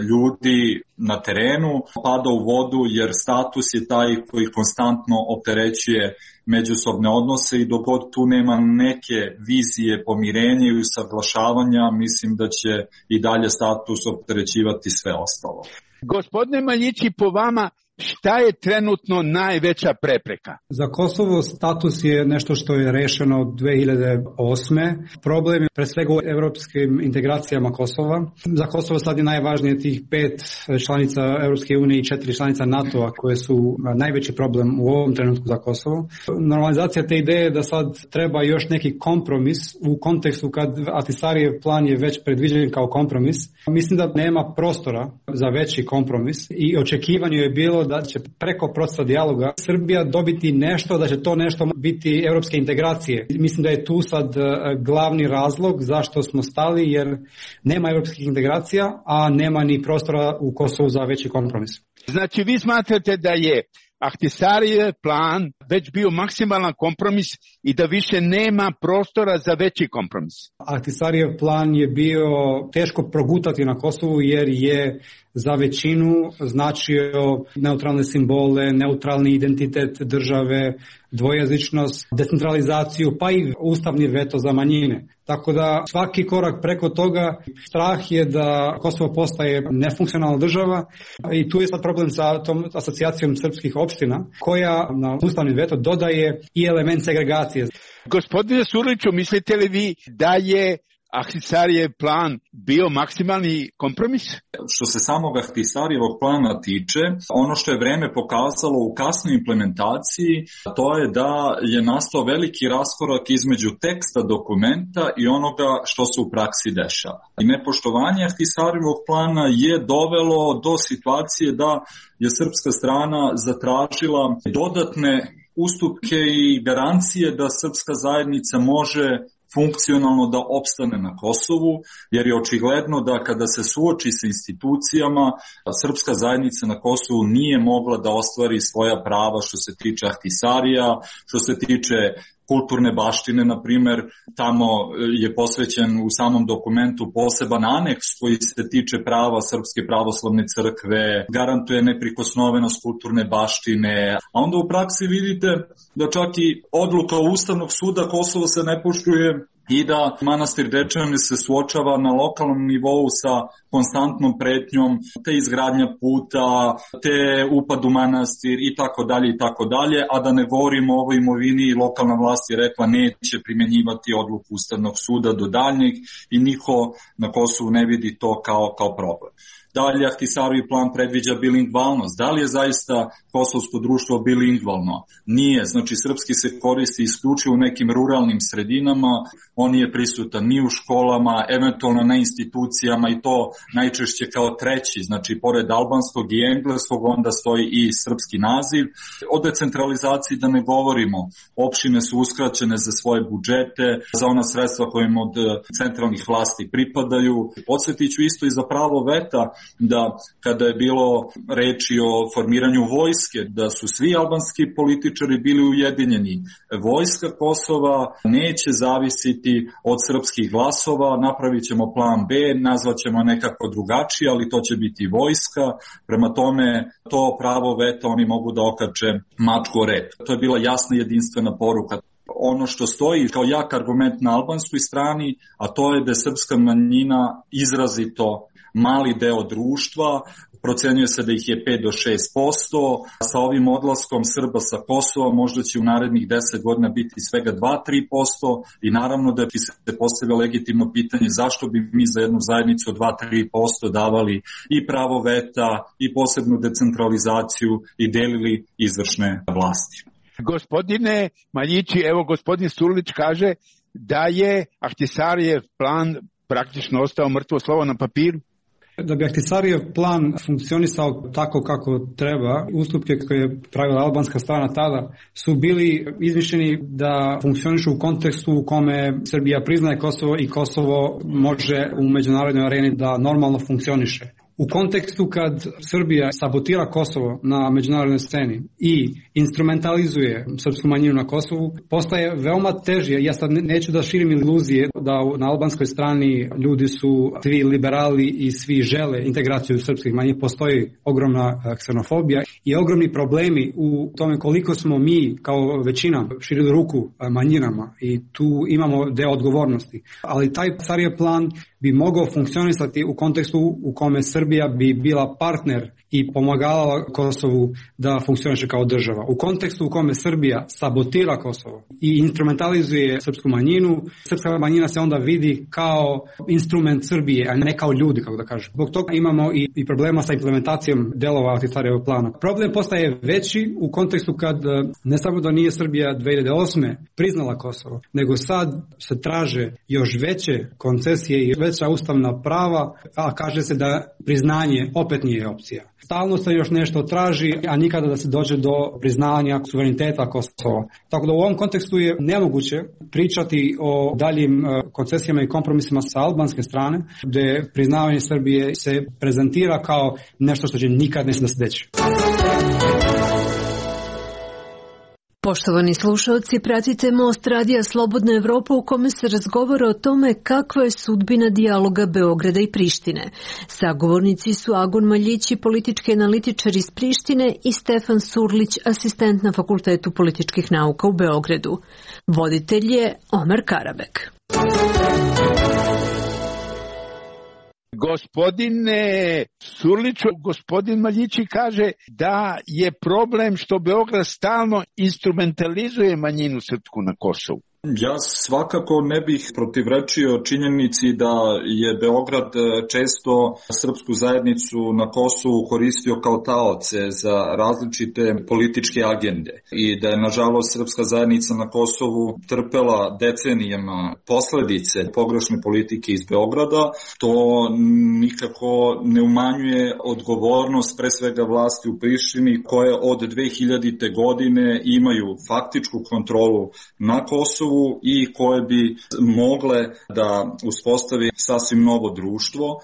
ljudi na terenu, pada u vodu, jer status je taj koji konstantno opterećuje međusobne odnose, i dok god tu nema neke vizije pomirenja i usaglašavanja, mislim da će i dalje status opterećivati sve ostalo. Gospodine Maljići, po vama šta je trenutno najveća prepreka? Za Kosovo status je nešto što je rešeno od dve hiljade osme. Problem je pre svega u evropskim integracijama Kosova. Za Kosovo sad je najvažnije tih pet članica Evropske unije i četiri članica NATO-a koje su najveći problem u ovom trenutku za Kosovo. Normalizacija te ideje da sad treba još neki kompromis u kontekstu kad Ahtisarijev plan je već predviđen kao kompromis. Mislim da nema prostora za veći kompromis i očekivanje je bilo da će preko procesa dijaloga Srbija dobiti nešto, da će to nešto biti evropske integracije. Mislim da je tu sad glavni razlog zašto smo stali, jer nema evropskih integracija, a nema ni prostora u Kosovu za veći kompromis. Znači vi smatrate da je Ahtisarijev plan već bio maksimalan kompromis i da više nema prostora za veći kompromis. Ahtisarijev plan je bio teško progutati na Kosovu jer je za većinu značio neutralne simbole, neutralni identitet države, dvojezičnost, decentralizaciju, pa i ustavni veto za manjine. Tako da svaki korak preko toga, strah je da Kosovo postaje nefunkcionalna država i tu je sad problem sa tom asocijacijom srpskih opština koja na ustavni veto dodaje i element segregacije. Gospodine Surliću, mislite li vi da je Ahtisarijev plan bio maksimalni kompromis? Što se samog Ahtisarijevog plana tiče, ono što je vreme pokazalo u kasnoj implementaciji, to je da je nastao veliki raskorak između teksta dokumenta i onoga što se u praksi dešava. I nepoštovanje Ahtisarijevog plana je dovelo do situacije da je srpska strana zatražila dodatne ustupke i garancije da srpska zajednica može funkcionalno da opstane na Kosovu, jer je očigledno da kada se suoči sa institucijama, srpska zajednica na Kosovu nije mogla da ostvari svoja prava što se tiče Ahtisarija, što se tiče kulturne baštine, na primjer, tamo je posvećen u samom dokumentu poseban aneks koji se tiče prava Srpske pravoslavne crkve, garantuje neprikosnovenost kulturne baštine, a onda u praksi vidite da čak i odluka Ustavnog suda Kosovo se ne poštuje i da manastir Dečani se suočava na lokalnom nivou sa konstantnom pretnjom, te izgradnja puta, te upad u manastir i tako dalje i tako dalje, a da ne govorimo o ovoj imovini i lokalna vlast je rekla neće primjenjivati odluku Ustavnog suda do daljnjeg i niko na Kosovu ne vidi to kao, kao problem. Da li Ahtisarijev plan predviđa bilingvalnost? Da li je zaista kosovsko društvo bilingvalno? Nije. Znači, srpski se koristi isključivo u nekim ruralnim sredinama, on je prisutan ni u školama, eventualno na institucijama i to najčešće kao treći. Znači, pored albanskog i engleskog onda stoji i srpski naziv. O decentralizaciji da ne govorimo. Opštine su uskraćene za svoje budžete, za ona sredstva koje im od centralnih vlasti pripadaju. Podsjetit ću isto i za pravo veta, da kada je bilo reči o formiranju vojske, da su svi albanski političari bili ujedinjeni. Vojska Kosova neće zavisiti od srpskih glasova, napravit ćemo plan B, nazvat ćemo nekako drugačije, ali to će biti vojska. Prema tome, to pravo veta oni mogu da okače mačku o rep. To je bila jasna jedinstvena poruka. Ono što stoji kao jak argument na albanskoj strani, a to je da je srpska manjina izrazito mali deo društva, procenjuje se da ih je pet do šest posto, sa ovim odlaskom Srba sa Kosova možda će u narednih deset godina biti svega dva do tri posto i naravno da bi se postavilo legitimno pitanje zašto bi mi za jednu zajednicu od dva do tri posto davali i pravo veta i posebnu decentralizaciju i delili izvršne vlasti. Gospodine Maljići, evo gospodin Surlić kaže da je Ahtisarijev plan praktično ostao mrtvo slovo na papiru. Da bi Ahtisarijev plan funkcionisao tako kako treba, ustupke koje je pravila albanska strana tada su bili izmišljeni da funkcionišu u kontekstu u kome Srbija priznaje Kosovo i Kosovo može u međunarodnoj areni da normalno funkcioniše. U kontekstu kad Srbija sabotira Kosovo na međunarodnoj sceni i instrumentalizuje srpsku manjinu na Kosovu, postaje veoma teže. Ja sad neću da širim iluzije da na albanskoj strani ljudi su svi liberali i svi žele integraciju srpskih manjina. Postoji ogromna ksenofobija i ogromni problemi u tome koliko smo mi kao većina širili ruku manjinama i tu imamo deo odgovornosti. Ali taj Ahtisarijev plan bi mogao funkcionisati u kontekstu u kome Srbija bi bila partner i pomagala Kosovu da funkcioniše kao država. U kontekstu u kome Srbija sabotira Kosovo i instrumentalizuje srpsku manjinu, srpska manjina se onda vidi kao instrument Srbije, a ne kao ljudi, kako da kažem. Zbog toga imamo i, i problema sa implementacijom delova Ahtisarijevog plana. Problem postaje veći u kontekstu kad ne samo da nije Srbija dve hiljade osme priznala Kosovo, nego sad se traže još veće koncesije i veća ustavna prava, a kaže se da priznanje opet nije opcija. Stalno se još nešto traži, a nikada da se dođe do priznanja suvereniteta Kosova. Tako da u ovom kontekstu je nemoguće pričati o daljim koncesijama i kompromisima sa albanske strane, gde priznavanje Srbije se prezentira kao nešto što će nikad ne se deći. Poštovani slušalci, pratite Most radija Slobodna Evropa u kome se razgovara o tome kakva je sudbina dijaloga Beograda i Prištine. Sagovornici su Agon Maljići, politički analitičar iz Prištine, i Stefan Surlić, asistent na Fakultetu političkih nauka u Beogradu. Voditelj je Omer Karabek. Gospodine Surliću, gospodin Maljići kaže da je problem što Beograd stalno instrumentalizuje manjinu srpsku na Kosovu. Ja svakako ne bih protivrečio činjenici da je Beograd često srpsku zajednicu na Kosovu koristio kao taoce za različite političke agende i da je nažalost srpska zajednica na Kosovu trpela decenijama posledice pogrešne politike iz Beograda. To nikako ne umanjuje odgovornost pre svega vlasti u Prištini koje od dve hiljadite. godine imaju faktičku kontrolu na Kosovu i koje bi mogle da uspostavi sasvim novo društvo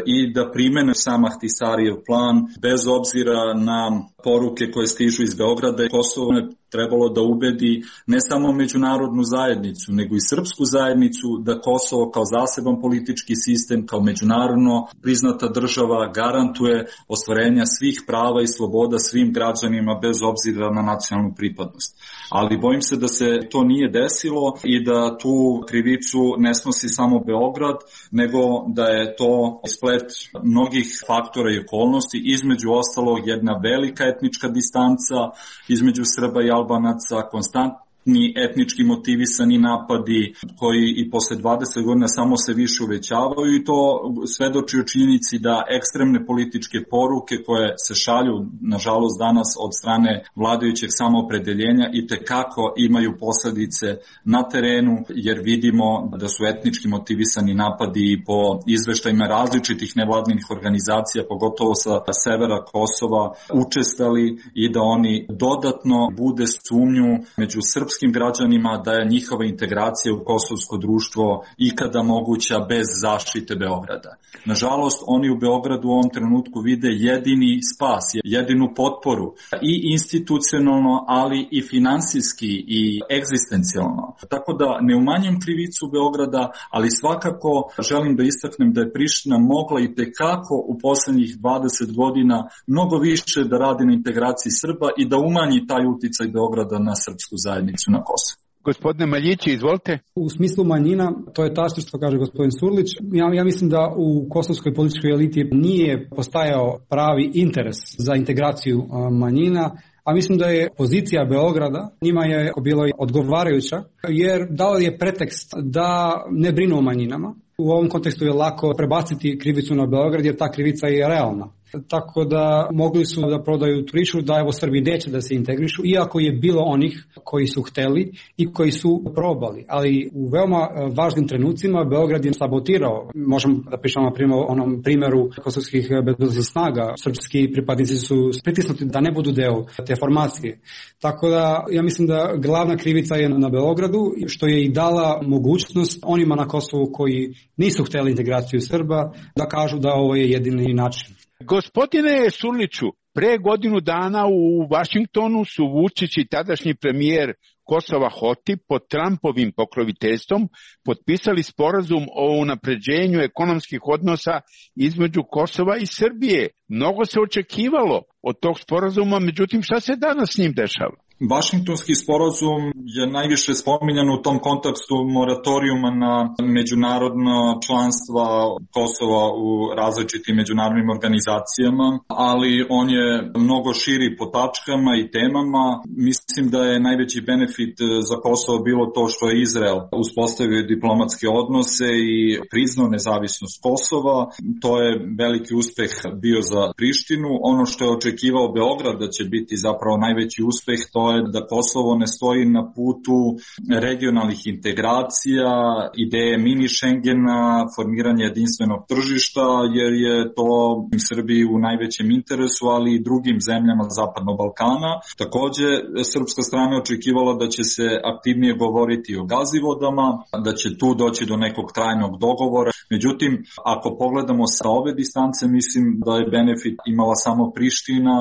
i da primene sam Ahtisarijev plan bez obzira na poruke koje stižu iz Beograda. Kosovo je trebalo da ubedi ne samo međunarodnu zajednicu, nego i srpsku zajednicu da Kosovo kao zaseban politički sistem, kao međunarodno priznata država garantuje ostvarenja svih prava i sloboda svim građanima bez obzira na nacionalnu pripadnost. Ali bojim se da se to nije desilo i da tu krivicu ne snosi samo Beograd, nego da je to splet mnogih faktora i okolnosti, između ostalog jedna velika etnička distanca između Srba i Albanaca, konstantni etnički motivisani napadi koji i posle dvadeset godina samo se više uvećavaju i to svedoči o činjenici da ekstremne političke poruke koje se šalju nažalost danas od strane vladajućeg samoopredeljenja i tekako imaju posledice na terenu, jer vidimo da su etnički motivisani napadi po izveštajima različitih nevladinih organizacija, pogotovo sa severa Kosova, učestali i da oni dodatno bude sumnju među srpskim srpskim građanima da je njihova integracija u kosovsko društvo ikada moguća bez zaštite Beograda. Nažalost, oni u Beogradu u ovom trenutku vide jedini spas, jedinu potporu i institucionalno, ali i finansijski i egzistencijalno. Tako da ne umanjam krivicu Beograda, ali svakako želim da istaknem da je Priština mogla i tekako u poslednjih dvadeset godina mnogo više da radi na integraciji Srba i da umanji taj uticaj Beograda na srpsku zajednicu na Kosovu. Gospodine Maljići, izvolite. U smislu manjina, to je tačno što kaže gospodin Surlić. Ja, ja mislim da u kosovskoj političkoj eliti nije postajao pravi interes za integraciju manjina, a mislim da je pozicija Beograda njima je bilo odgovarajuća, jer dao je pretekst da ne brinu o manjinama. U ovom kontekstu je lako prebaciti krivicu na Beograd, jer ta krivica je realna. Tako da mogli su da prodaju priču da evo Srbi neće da se integrišu, iako je bilo onih koji su hteli i koji su probali. Ali u veoma važnim trenucima Beograd je sabotirao. Možemo da pričamo na primjer o onom primjeru kosovskih bezbednosnih snaga. Srpski pripadnici su pritisnuti da ne budu deo te formacije. Tako da ja mislim da glavna krivica je na Beogradu, što je i dala mogućnost onima na Kosovu koji nisu hteli integraciju Srba da kažu da ovo je jedini način. Gospodine Surliću, pre godinu dana u Vašingtonu su Vučić i tadašnji premijer Kosova Hoti pod Trumpovim pokroviteljstvom potpisali sporazum o unapređenju ekonomskih odnosa između Kosova i Srbije. Mnogo se očekivalo od tog sporazuma, međutim šta se danas s njim dešava? Vašingtonski sporazum je najviše spominjan u tom kontekstu moratorijuma na međunarodno članstva Kosova u različitim međunarodnim organizacijama, ali on je mnogo širi po tačkama i temama. Mislim da je najveći benefit za Kosovo bilo to što je Izrael uspostavio diplomatske odnose i priznao nezavisnost Kosova. To je veliki uspeh bio za Prištinu. Ono što je očekivao Beograd da će biti zapravo najveći uspeh, to je da Kosovo ne stoji na putu regionalnih integracija, ideje mini Schengena, formiranje jedinstvenog tržišta, jer je to Srbiji u najvećem interesu, ali i drugim zemljama Zapadnog Balkana. Takođe, srpska strana očekivala da će se aktivnije govoriti o gazivodama, da će tu doći do nekog trajnog dogovora. Međutim, ako pogledamo sa ove distance, mislim da je benefit imala samo Priština,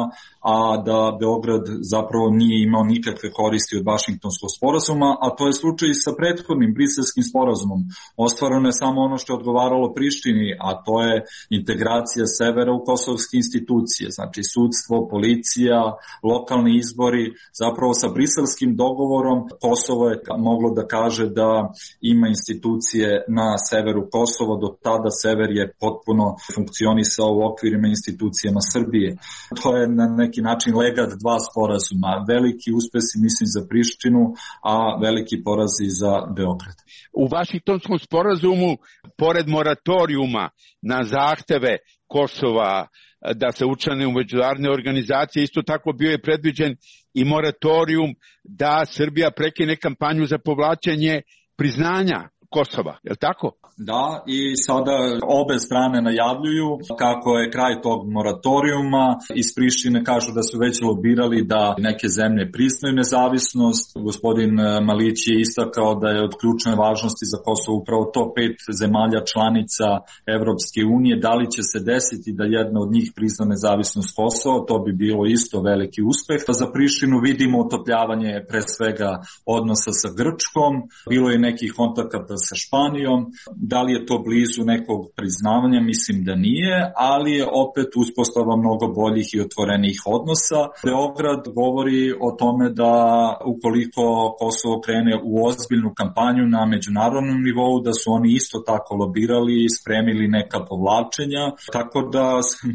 a da Beograd zapravo nije imao imao nikakve koristi od Vašingtonskog sporazuma, a to je slučaj i sa prethodnim briselskim sporazumom. Ostvareno je samo ono što je odgovaralo Prištini, a to je integracija severa u kosovske institucije, znači sudstvo, policija, lokalni izbori. Zapravo sa briselskim dogovorom Kosovo je moglo da kaže da ima institucije na severu Kosova, do tada sever je potpuno funkcionisao u okvirima institucijama Srbije. To je na neki način legat dva sporazuma. Veliki uspesi, mislim, za Prištinu, a veliki porazi za Beograd. U Vašingtonskom sporazumu, pored moratorijuma na zahteve Kosova da se učlane u međunarodne organizacije, isto tako bio je predviđen i moratorijum da Srbija prekine kampanju za povlačenje priznanja Kosova, je li tako? Da, i sada obe strane najavljuju kako je kraj tog moratorijuma. Iz Prištine kažu da su već lobirali da neke zemlje priznaju nezavisnost. Gospodin Malić je istakao da je od ključne važnosti za Kosovo upravo to pet zemalja članica Evropske unije. Da li će se desiti da jedna od njih prizna nezavisnost Kosova, to bi bilo isto veliki uspeh. Za Prištinu vidimo otopljavanje pre svega odnosa sa Grčkom, bilo je nekih kontakata sa Španijom. Da li je to blizu nekog priznavanja? Mislim da nije, ali je opet uspostava mnogo boljih i otvorenih odnosa. Beograd govori o tome da ukoliko Kosovo krene u ozbiljnu kampanju na međunarodnom nivou, da su oni isto tako lobirali i spremili neka povlačenja, tako da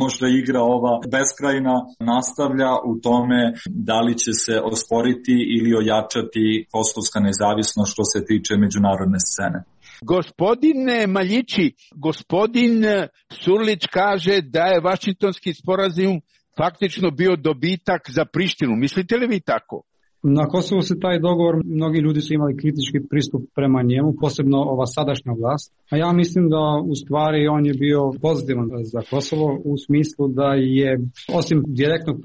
možda igra ova beskrajna nastavlja u tome da li će se osporiti ili ojačati kosovska nezavisnost što se tiče međunarodne scene. Gospodine Maljići, gospodin Surlić kaže da je Vašingtonski sporazum faktično bio dobitak za Prištinu. Mislite li vi tako? Na Kosovu se taj dogovor, mnogi ljudi su imali kritički pristup prema njemu, posebno ova sadašnja vlast. A ja mislim da u stvari on je bio pozitivan za Kosovo u smislu da je, osim direktnog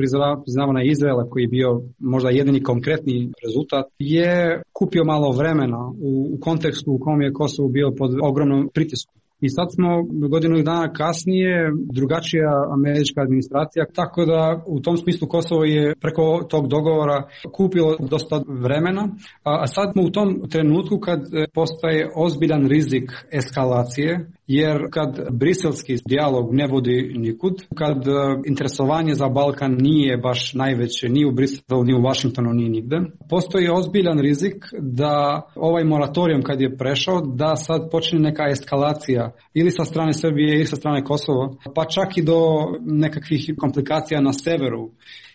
priznavanja Izraela, koji je bio možda jedini konkretni rezultat, je kupio malo vremena u, u kontekstu u kom je Kosovo bio pod ogromnom pritiskom. I sad smo godinu dana kasnije drugačija američka administracija, tako da u tom smislu Kosovo je preko tog dogovora kupilo dosta vremena, a sad smo u tom trenutku kad postaje ozbiljan rizik eskalacije, jer kad briselski dijalog ne vodi nikud, kad interesovanje za Balkan nije baš najveće ni u Briselu, ni u Vašingtonu, ni nigde, postoji ozbiljan rizik da ovaj moratorijum kad je prešao, da sad počne neka eskalacija ili sa strane Srbije ili sa strane Kosova, pa čak i do nekakvih komplikacija na severu.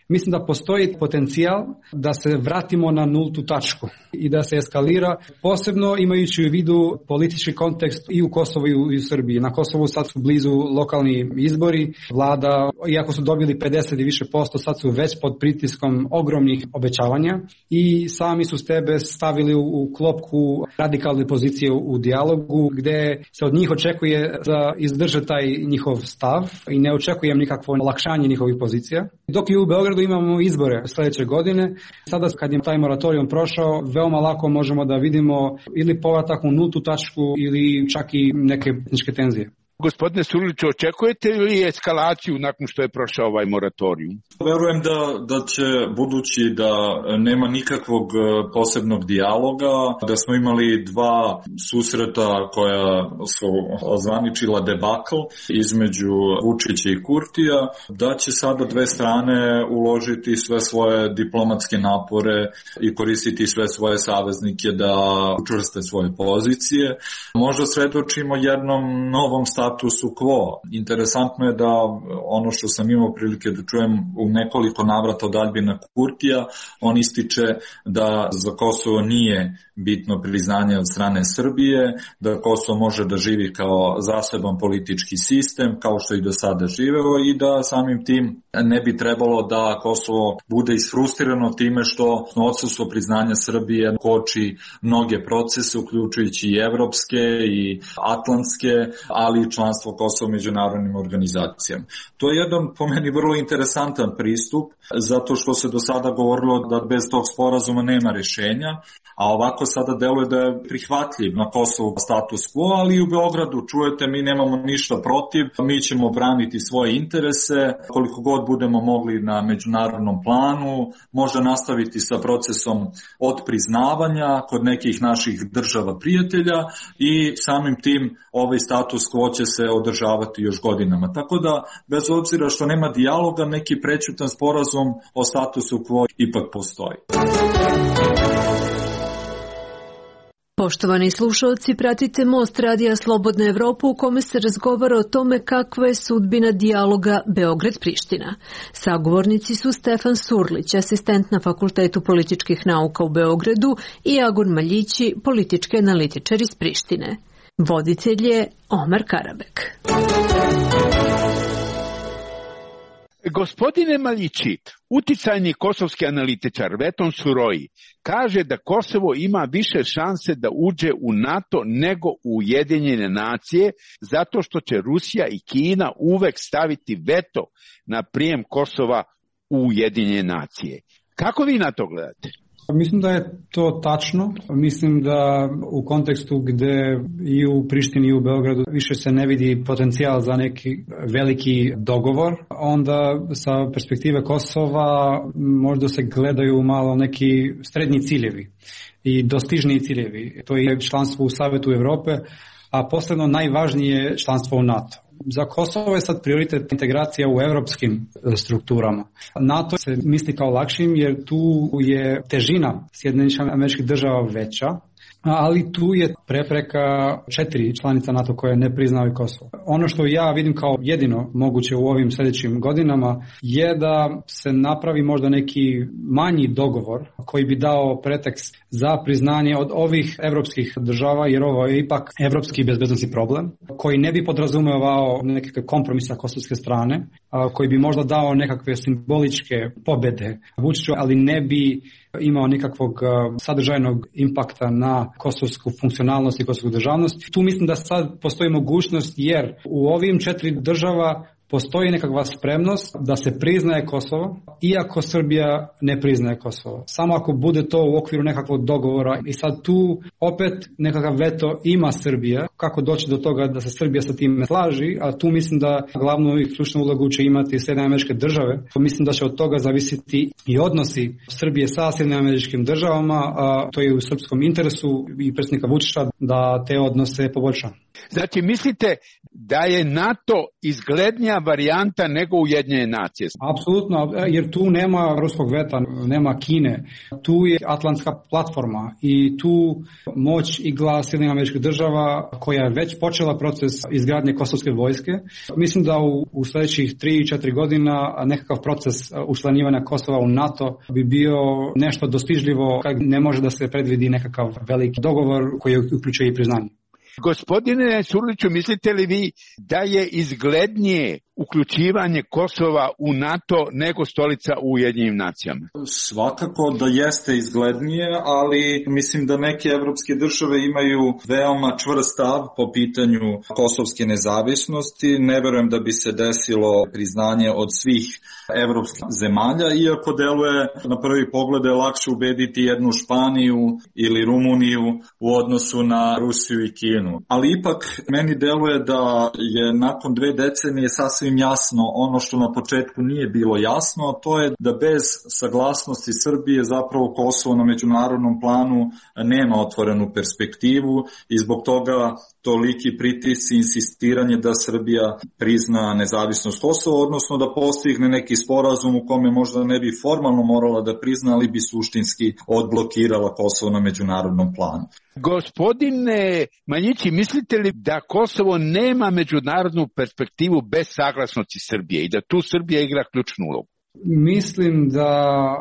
Mislim da postoji potencijal da se vratimo na nultu tačku i da se eskalira, posebno imajući u vidu politički kontekst i u Kosovu i u Srbiji. Na Kosovu sad su blizu lokalni izbori, vlada, iako su dobili pedeset i više posto, sad su već pod pritiskom ogromnih obećavanja i sami su sebe stavili u klopku radikalne pozicije u dijalogu, gde se od njih očekuje da izdrže taj njihov stav i ne očekujem nikakvo olakšanje njihovih pozicija. Dok i u Beogradu imamo izbore sljedeće godine, sada kad je taj moratorijum prošao, veoma lako možemo da vidimo ili povratak u nultu tačku ili čak i neke etničke tenzije. Gospodine Surliću, očekujete li eskalaciju nakon što je prošao ovaj moratorijum? Verujem da, da će, budući da nema nikakvog posebnog dijaloga, da smo imali dva susreta koja su ozvaničila debakl između Vučića i Kurtija, da će sada dve strane uložiti sve svoje diplomatske napore i koristiti sve svoje saveznike da učvrste svoje pozicije. Možda svedočimo jednom novom statusu statusu quo. Interesantno je da ono što sam imao prilike da čujem u nekoliko navrata od Albina Kurtija, on ističe da za Kosovo nije bitno priznanje od strane Srbije, da Kosovo može da živi kao zaseban politički sistem, kao što i do sada živeo, i da samim tim ne bi trebalo da Kosovo bude isfrustrirano time što odsustvo priznanja Srbije koči mnoge procese, uključujući i evropske i atlantske, ali članstvo Kosova u međunarodnim organizacijama. To je jedan po meni vrlo interesantan pristup, zato što se do sada govorilo da bez tog sporazuma nema rješenja, a ovako sada deluje da je prihvatljiv na Kosovu status quo, ali i u Beogradu čujete mi nemamo ništa protiv, mi ćemo braniti svoje interese koliko god budemo mogli na međunarodnom planu, možda nastaviti sa procesom od priznavanja kod nekih naših država prijatelja i samim tim ovaj status quo će se održavati još godinama. Tako da, bez obzira što nema dijaloga, neki prećutan sporazum o statusu quo ipak postoji. Poštovani slušalci, pratite Most radija Slobodna Evropa u kome se razgovara o tome kakva je sudbina dijaloga Beograd-Priština. Sagovornici su Stefan Surlić, asistent na Fakultetu političkih nauka u Beogradu, i Agun Maljići, politički analitičar iz Prištine. Voditelj je Omar Karabek. Gospodine Maljići, uticajni kosovski analitičar Veton Suroji kaže da Kosovo ima više šanse da uđe u NATO nego u Ujedinjene nacije, zato što će Rusija i Kina uvek staviti veto na prijem Kosova u Ujedinjene nacije. Kako vi na to gledate? Mislim da je to tačno. Mislim da u kontekstu gde i u Prištini i u Beogradu više se ne vidi potencijal za neki veliki dogovor, onda sa perspektive Kosova možda se gledaju malo neki srednji ciljevi i dostižniji ciljevi. To je članstvo u Savetu Evrope, a posebno najvažnije članstvo u NATO. Za Kosovo je sad prioritet integracija u evropskim strukturama. NATO se misli kao lakšim jer tu je težina Sjedinjenih Američkih Država veća, ali tu je prepreka četiri članica NATO koje ne priznaju Kosovo. Ono što ja vidim kao jedino moguće u ovim sljedećim godinama je da se napravi možda neki manji dogovor koji bi dao pretekst za priznanje od ovih evropskih država, jer ovo je ipak evropski bezbednosni problem, koji ne bi podrazumevao nekakve kompromise sa kosovske strane, koji bi možda dao nekakve simboličke pobede Vučiću, ali ne bi imao nikakvog sadržajnog impakta na kosovsku funkcionalnost i kosovsku državnost. Tu mislim da sad postoji mogućnost, jer u ovim četiri država postoji nekakva spremnost da se priznaje Kosovo, iako Srbija ne priznaje Kosovo. Samo ako bude to u okviru nekakvog dogovora. I sad tu opet nekakav veto ima Srbija. Kako doći do toga da se Srbija sa tim slaži, a tu mislim da glavnu i ključnu ulogu će imati Sjedinjene Američke Države. Mislim da će od toga zavisiti i odnosi Srbije sa Sjedinjenim Američkim Državama, a to je u srpskom interesu i predsjednika Vučića da te odnose poboljša. Znači, mislite da je NATO izglednija varijanta nego Ujedinjene nacije? Apsolutno, jer tu nema ruskog veta, nema Kine, tu je atlantska platforma i tu moć i glas Sjedinjenih Američkih Država koja je već počela proces izgradnje kosovske vojske. Mislim da u, u sljedećih tri i četiri godina nekakav proces učlanjivanja Kosova u NATO bi bio nešto dostižljivo, kad ne može da se predvidi nekakav veliki dogovor koji uključuje i priznanje. Gospodine Surliću, mislite li vi da je izglednije uključivanje Kosova u NATO nego stolica u Ujedinjenim nacijama? Svakako da jeste izglednije, ali mislim da neke evropske države imaju veoma čvrst stav po pitanju kosovske nezavisnosti. Ne verujem da bi se desilo priznanje od svih evropskih zemalja, iako deluje na prvi pogled je lakše ubediti jednu Španiju ili Rumuniju u odnosu na Rusiju i Kinu. Ali ipak meni deluje da je nakon dve decenije sasvim jasno ono što na početku nije bilo jasno, a to je da bez saglasnosti Srbije zapravo Kosovo na međunarodnom planu nema otvorenu perspektivu i zbog toga toliki pritisci i insistiranje da Srbija prizna nezavisnost Kosova, odnosno da postigne neki sporazum u kome možda ne bi formalno morala da prizna, ali bi suštinski odblokirala Kosovo na međunarodnom planu. Gospodine Maljići, mislite li da Kosovo nema međunarodnu perspektivu bez saglasnosti Srbije i da tu Srbija igra ključnu ulogu? Mislim da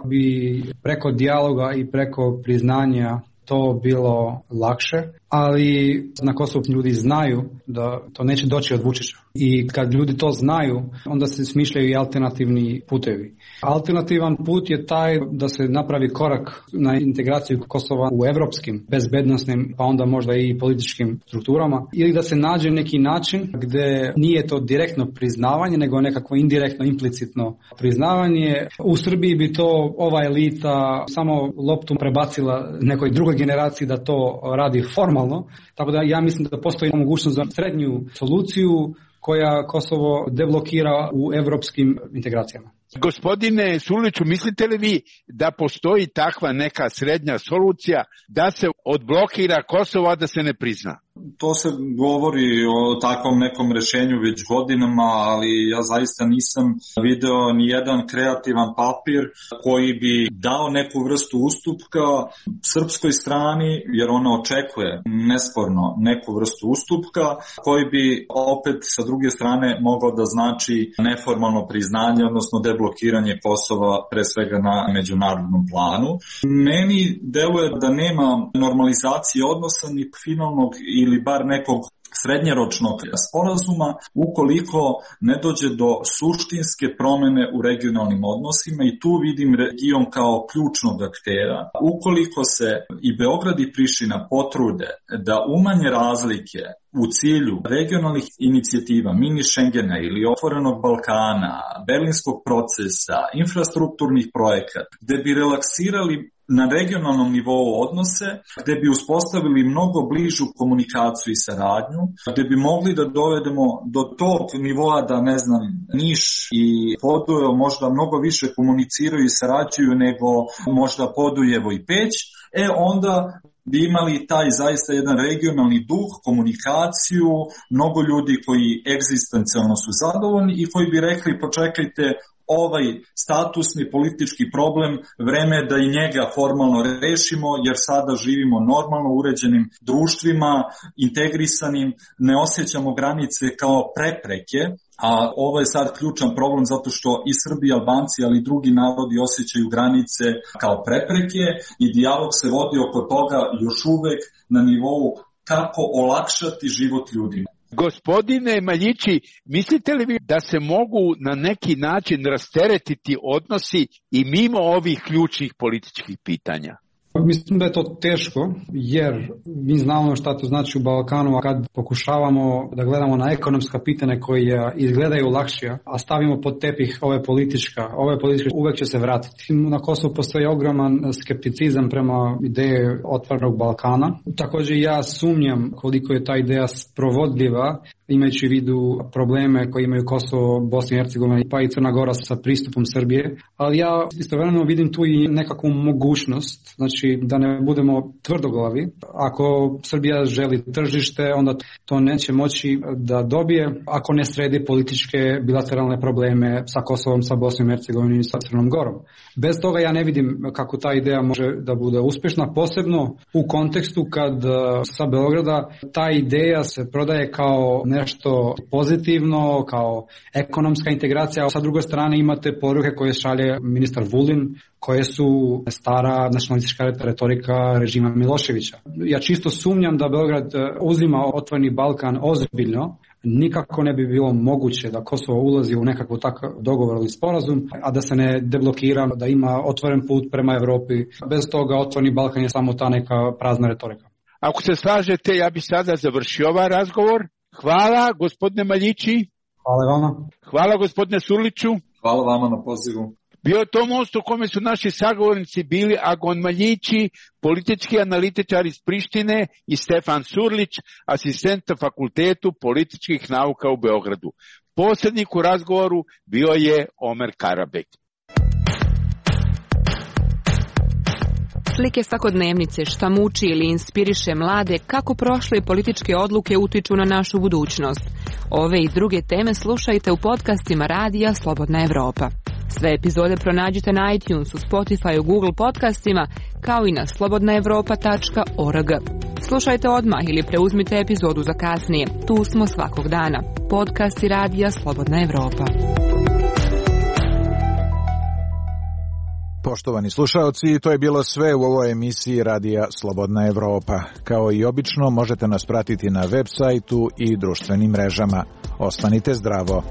bi preko dijaloga i preko priznanja to bilo lakše, ali na Kosovu ljudi znaju da to neće doći od Vučića. I kad ljudi to znaju, onda se smišljaju i alternativni putevi. Alternativan put je taj da se napravi korak na integraciju Kosova u evropskim, bezbednosnim, pa onda možda i političkim strukturama, ili da se nađe neki način gdje nije to direktno priznavanje, nego nekako indirektno, implicitno priznavanje. U Srbiji bi to ova elita samo loptu prebacila nekoj drugoj generaciji da to radi formalno, tako da ja mislim da postoji mogućnost za srednju soluciju koja Kosovo deblokira u evropskim integracijama. Gospodine Surliću, mislite li vi da postoji takva neka srednja solucija da se odblokira Kosovo, a da se ne prizna? To se govori o takvom nekom rešenju već godinama, ali ja zaista nisam video ni jedan kreativan papir koji bi dao neku vrstu ustupka srpskoj strani, jer ona očekuje nesporno neku vrstu ustupka, koji bi opet sa druge strane mogao da znači neformalno priznanje, odnosno deblokiranje Kosova pre svega na međunarodnom planu. Meni deluje da nema normalizacije odnosa ni finalnog ili bar nekog srednjeročnog sporazuma ukoliko ne dođe do suštinske promene u regionalnim odnosima, i tu vidim region kao ključnog aktera. Ukoliko se i Beograd i Priština potrude da umanje razlike u cilju regionalnih inicijativa, mini Schengena ili otvorenog Balkana, berlinskog procesa, infrastrukturnih projekata, gde bi relaksirali na regionalnom nivou odnose, gde bi uspostavili mnogo bližu komunikaciju i saradnju, gde bi mogli da dovedemo do tog nivoa da, ne znam, Niš i Podujevo možda mnogo više komuniciraju i sarađuju nego možda Podujevo i Peć, e onda bi imali taj zaista jedan regionalni duh, komunikaciju, mnogo ljudi koji egzistencijalno su zadovoljni i koji bi rekli počekajte, ovaj statusni politički problem, vreme je da i njega formalno rešimo, jer sada živimo normalno uređenim društvima, integrisanim, ne osjećamo granice kao prepreke, a ovo je sad ključan problem zato što i Srbi i Albanci, ali i drugi narodi osjećaju granice kao prepreke i dijalog se vodi oko toga još uvek na nivou kako olakšati život ljudima. Gospodine Maljići, mislite li vi da se mogu na neki način rasteretiti odnosi i mimo ovih ključnih političkih pitanja? Mislim da je to teško, jer mi znamo šta to znači u Balkanu, a kad pokušavamo da gledamo na ekonomska pitanja koja izgledaju lakšija, a stavimo pod tepih ove politička, ove političke uvek će se vratiti. Na Kosovu postoji ogroman skepticizam prema ideje otvorenog Balkana. Također ja sumnjam koliko je ta ideja sprovodljiva, imajući u vidu probleme koje imaju Kosovo, Bosna i Hercegovina pa i Crna Gora sa pristupom Srbije, ali ja istovremeno vidim tu i nekakvu mogućnost, znači da ne budemo tvrdoglavi. Ako Srbija želi tržište, onda to neće moći da dobije ako ne sredi političke bilateralne probleme sa Kosovom, sa Bosnom i Hercegovinom i sa Crnom Gorom. Bez toga ja ne vidim kako ta ideja može da bude uspješna, posebno u kontekstu kad sa Beograda ta ideja se prodaje kao nešto pozitivno, kao ekonomska integracija, a sa druge strane imate poruke koje šalje ministar Vulin, koje su stara nacionalistička retorika režima Miloševića. Ja čisto sumnjam da Beograd uzima otvoreni Balkan ozbiljno. Nikako ne bi bilo moguće da Kosovo ulazi u nekakav takav dogovor ili sporazum, a da se ne deblokira, da ima otvoren put prema Evropi. Bez toga otvoreni Balkan je samo ta neka prazna retorika. Ako se slažete, ja bih sada završio ovaj razgovor. Hvala, gospodine Maljići. Hvala vama. Hvala, gospodine Surliću. Hvala vama na pozivu. Bio je to most u kome su naši sagovornici bili Agon Maljići, politički analitičar iz Prištine, i Stefan Surlić, asistent na Fakultetu političkih nauka u Beogradu. Posrednik u razgovoru bio je Omer Karabek. Slike svakodnevnice, šta muči ili inspiriše mlade, kako prošle političke odluke utiču na našu budućnost. Ove i druge teme slušajte u podcastima Radija Slobodna Evropa. Sve epizode pronađite na iTunesu, Spotify, Google podcastima, kao i na slobodna evropa tačka org. Slušajte odmah ili preuzmite epizodu za kasnije. Tu smo svakog dana. Podcasti Radija Slobodna Evropa. Poštovani slušaoci, to je bilo sve u ovoj emisiji Radija Slobodna Evropa. Kao i obično, možete nas pratiti na web sajtu i društvenim mrežama. Ostanite zdravo.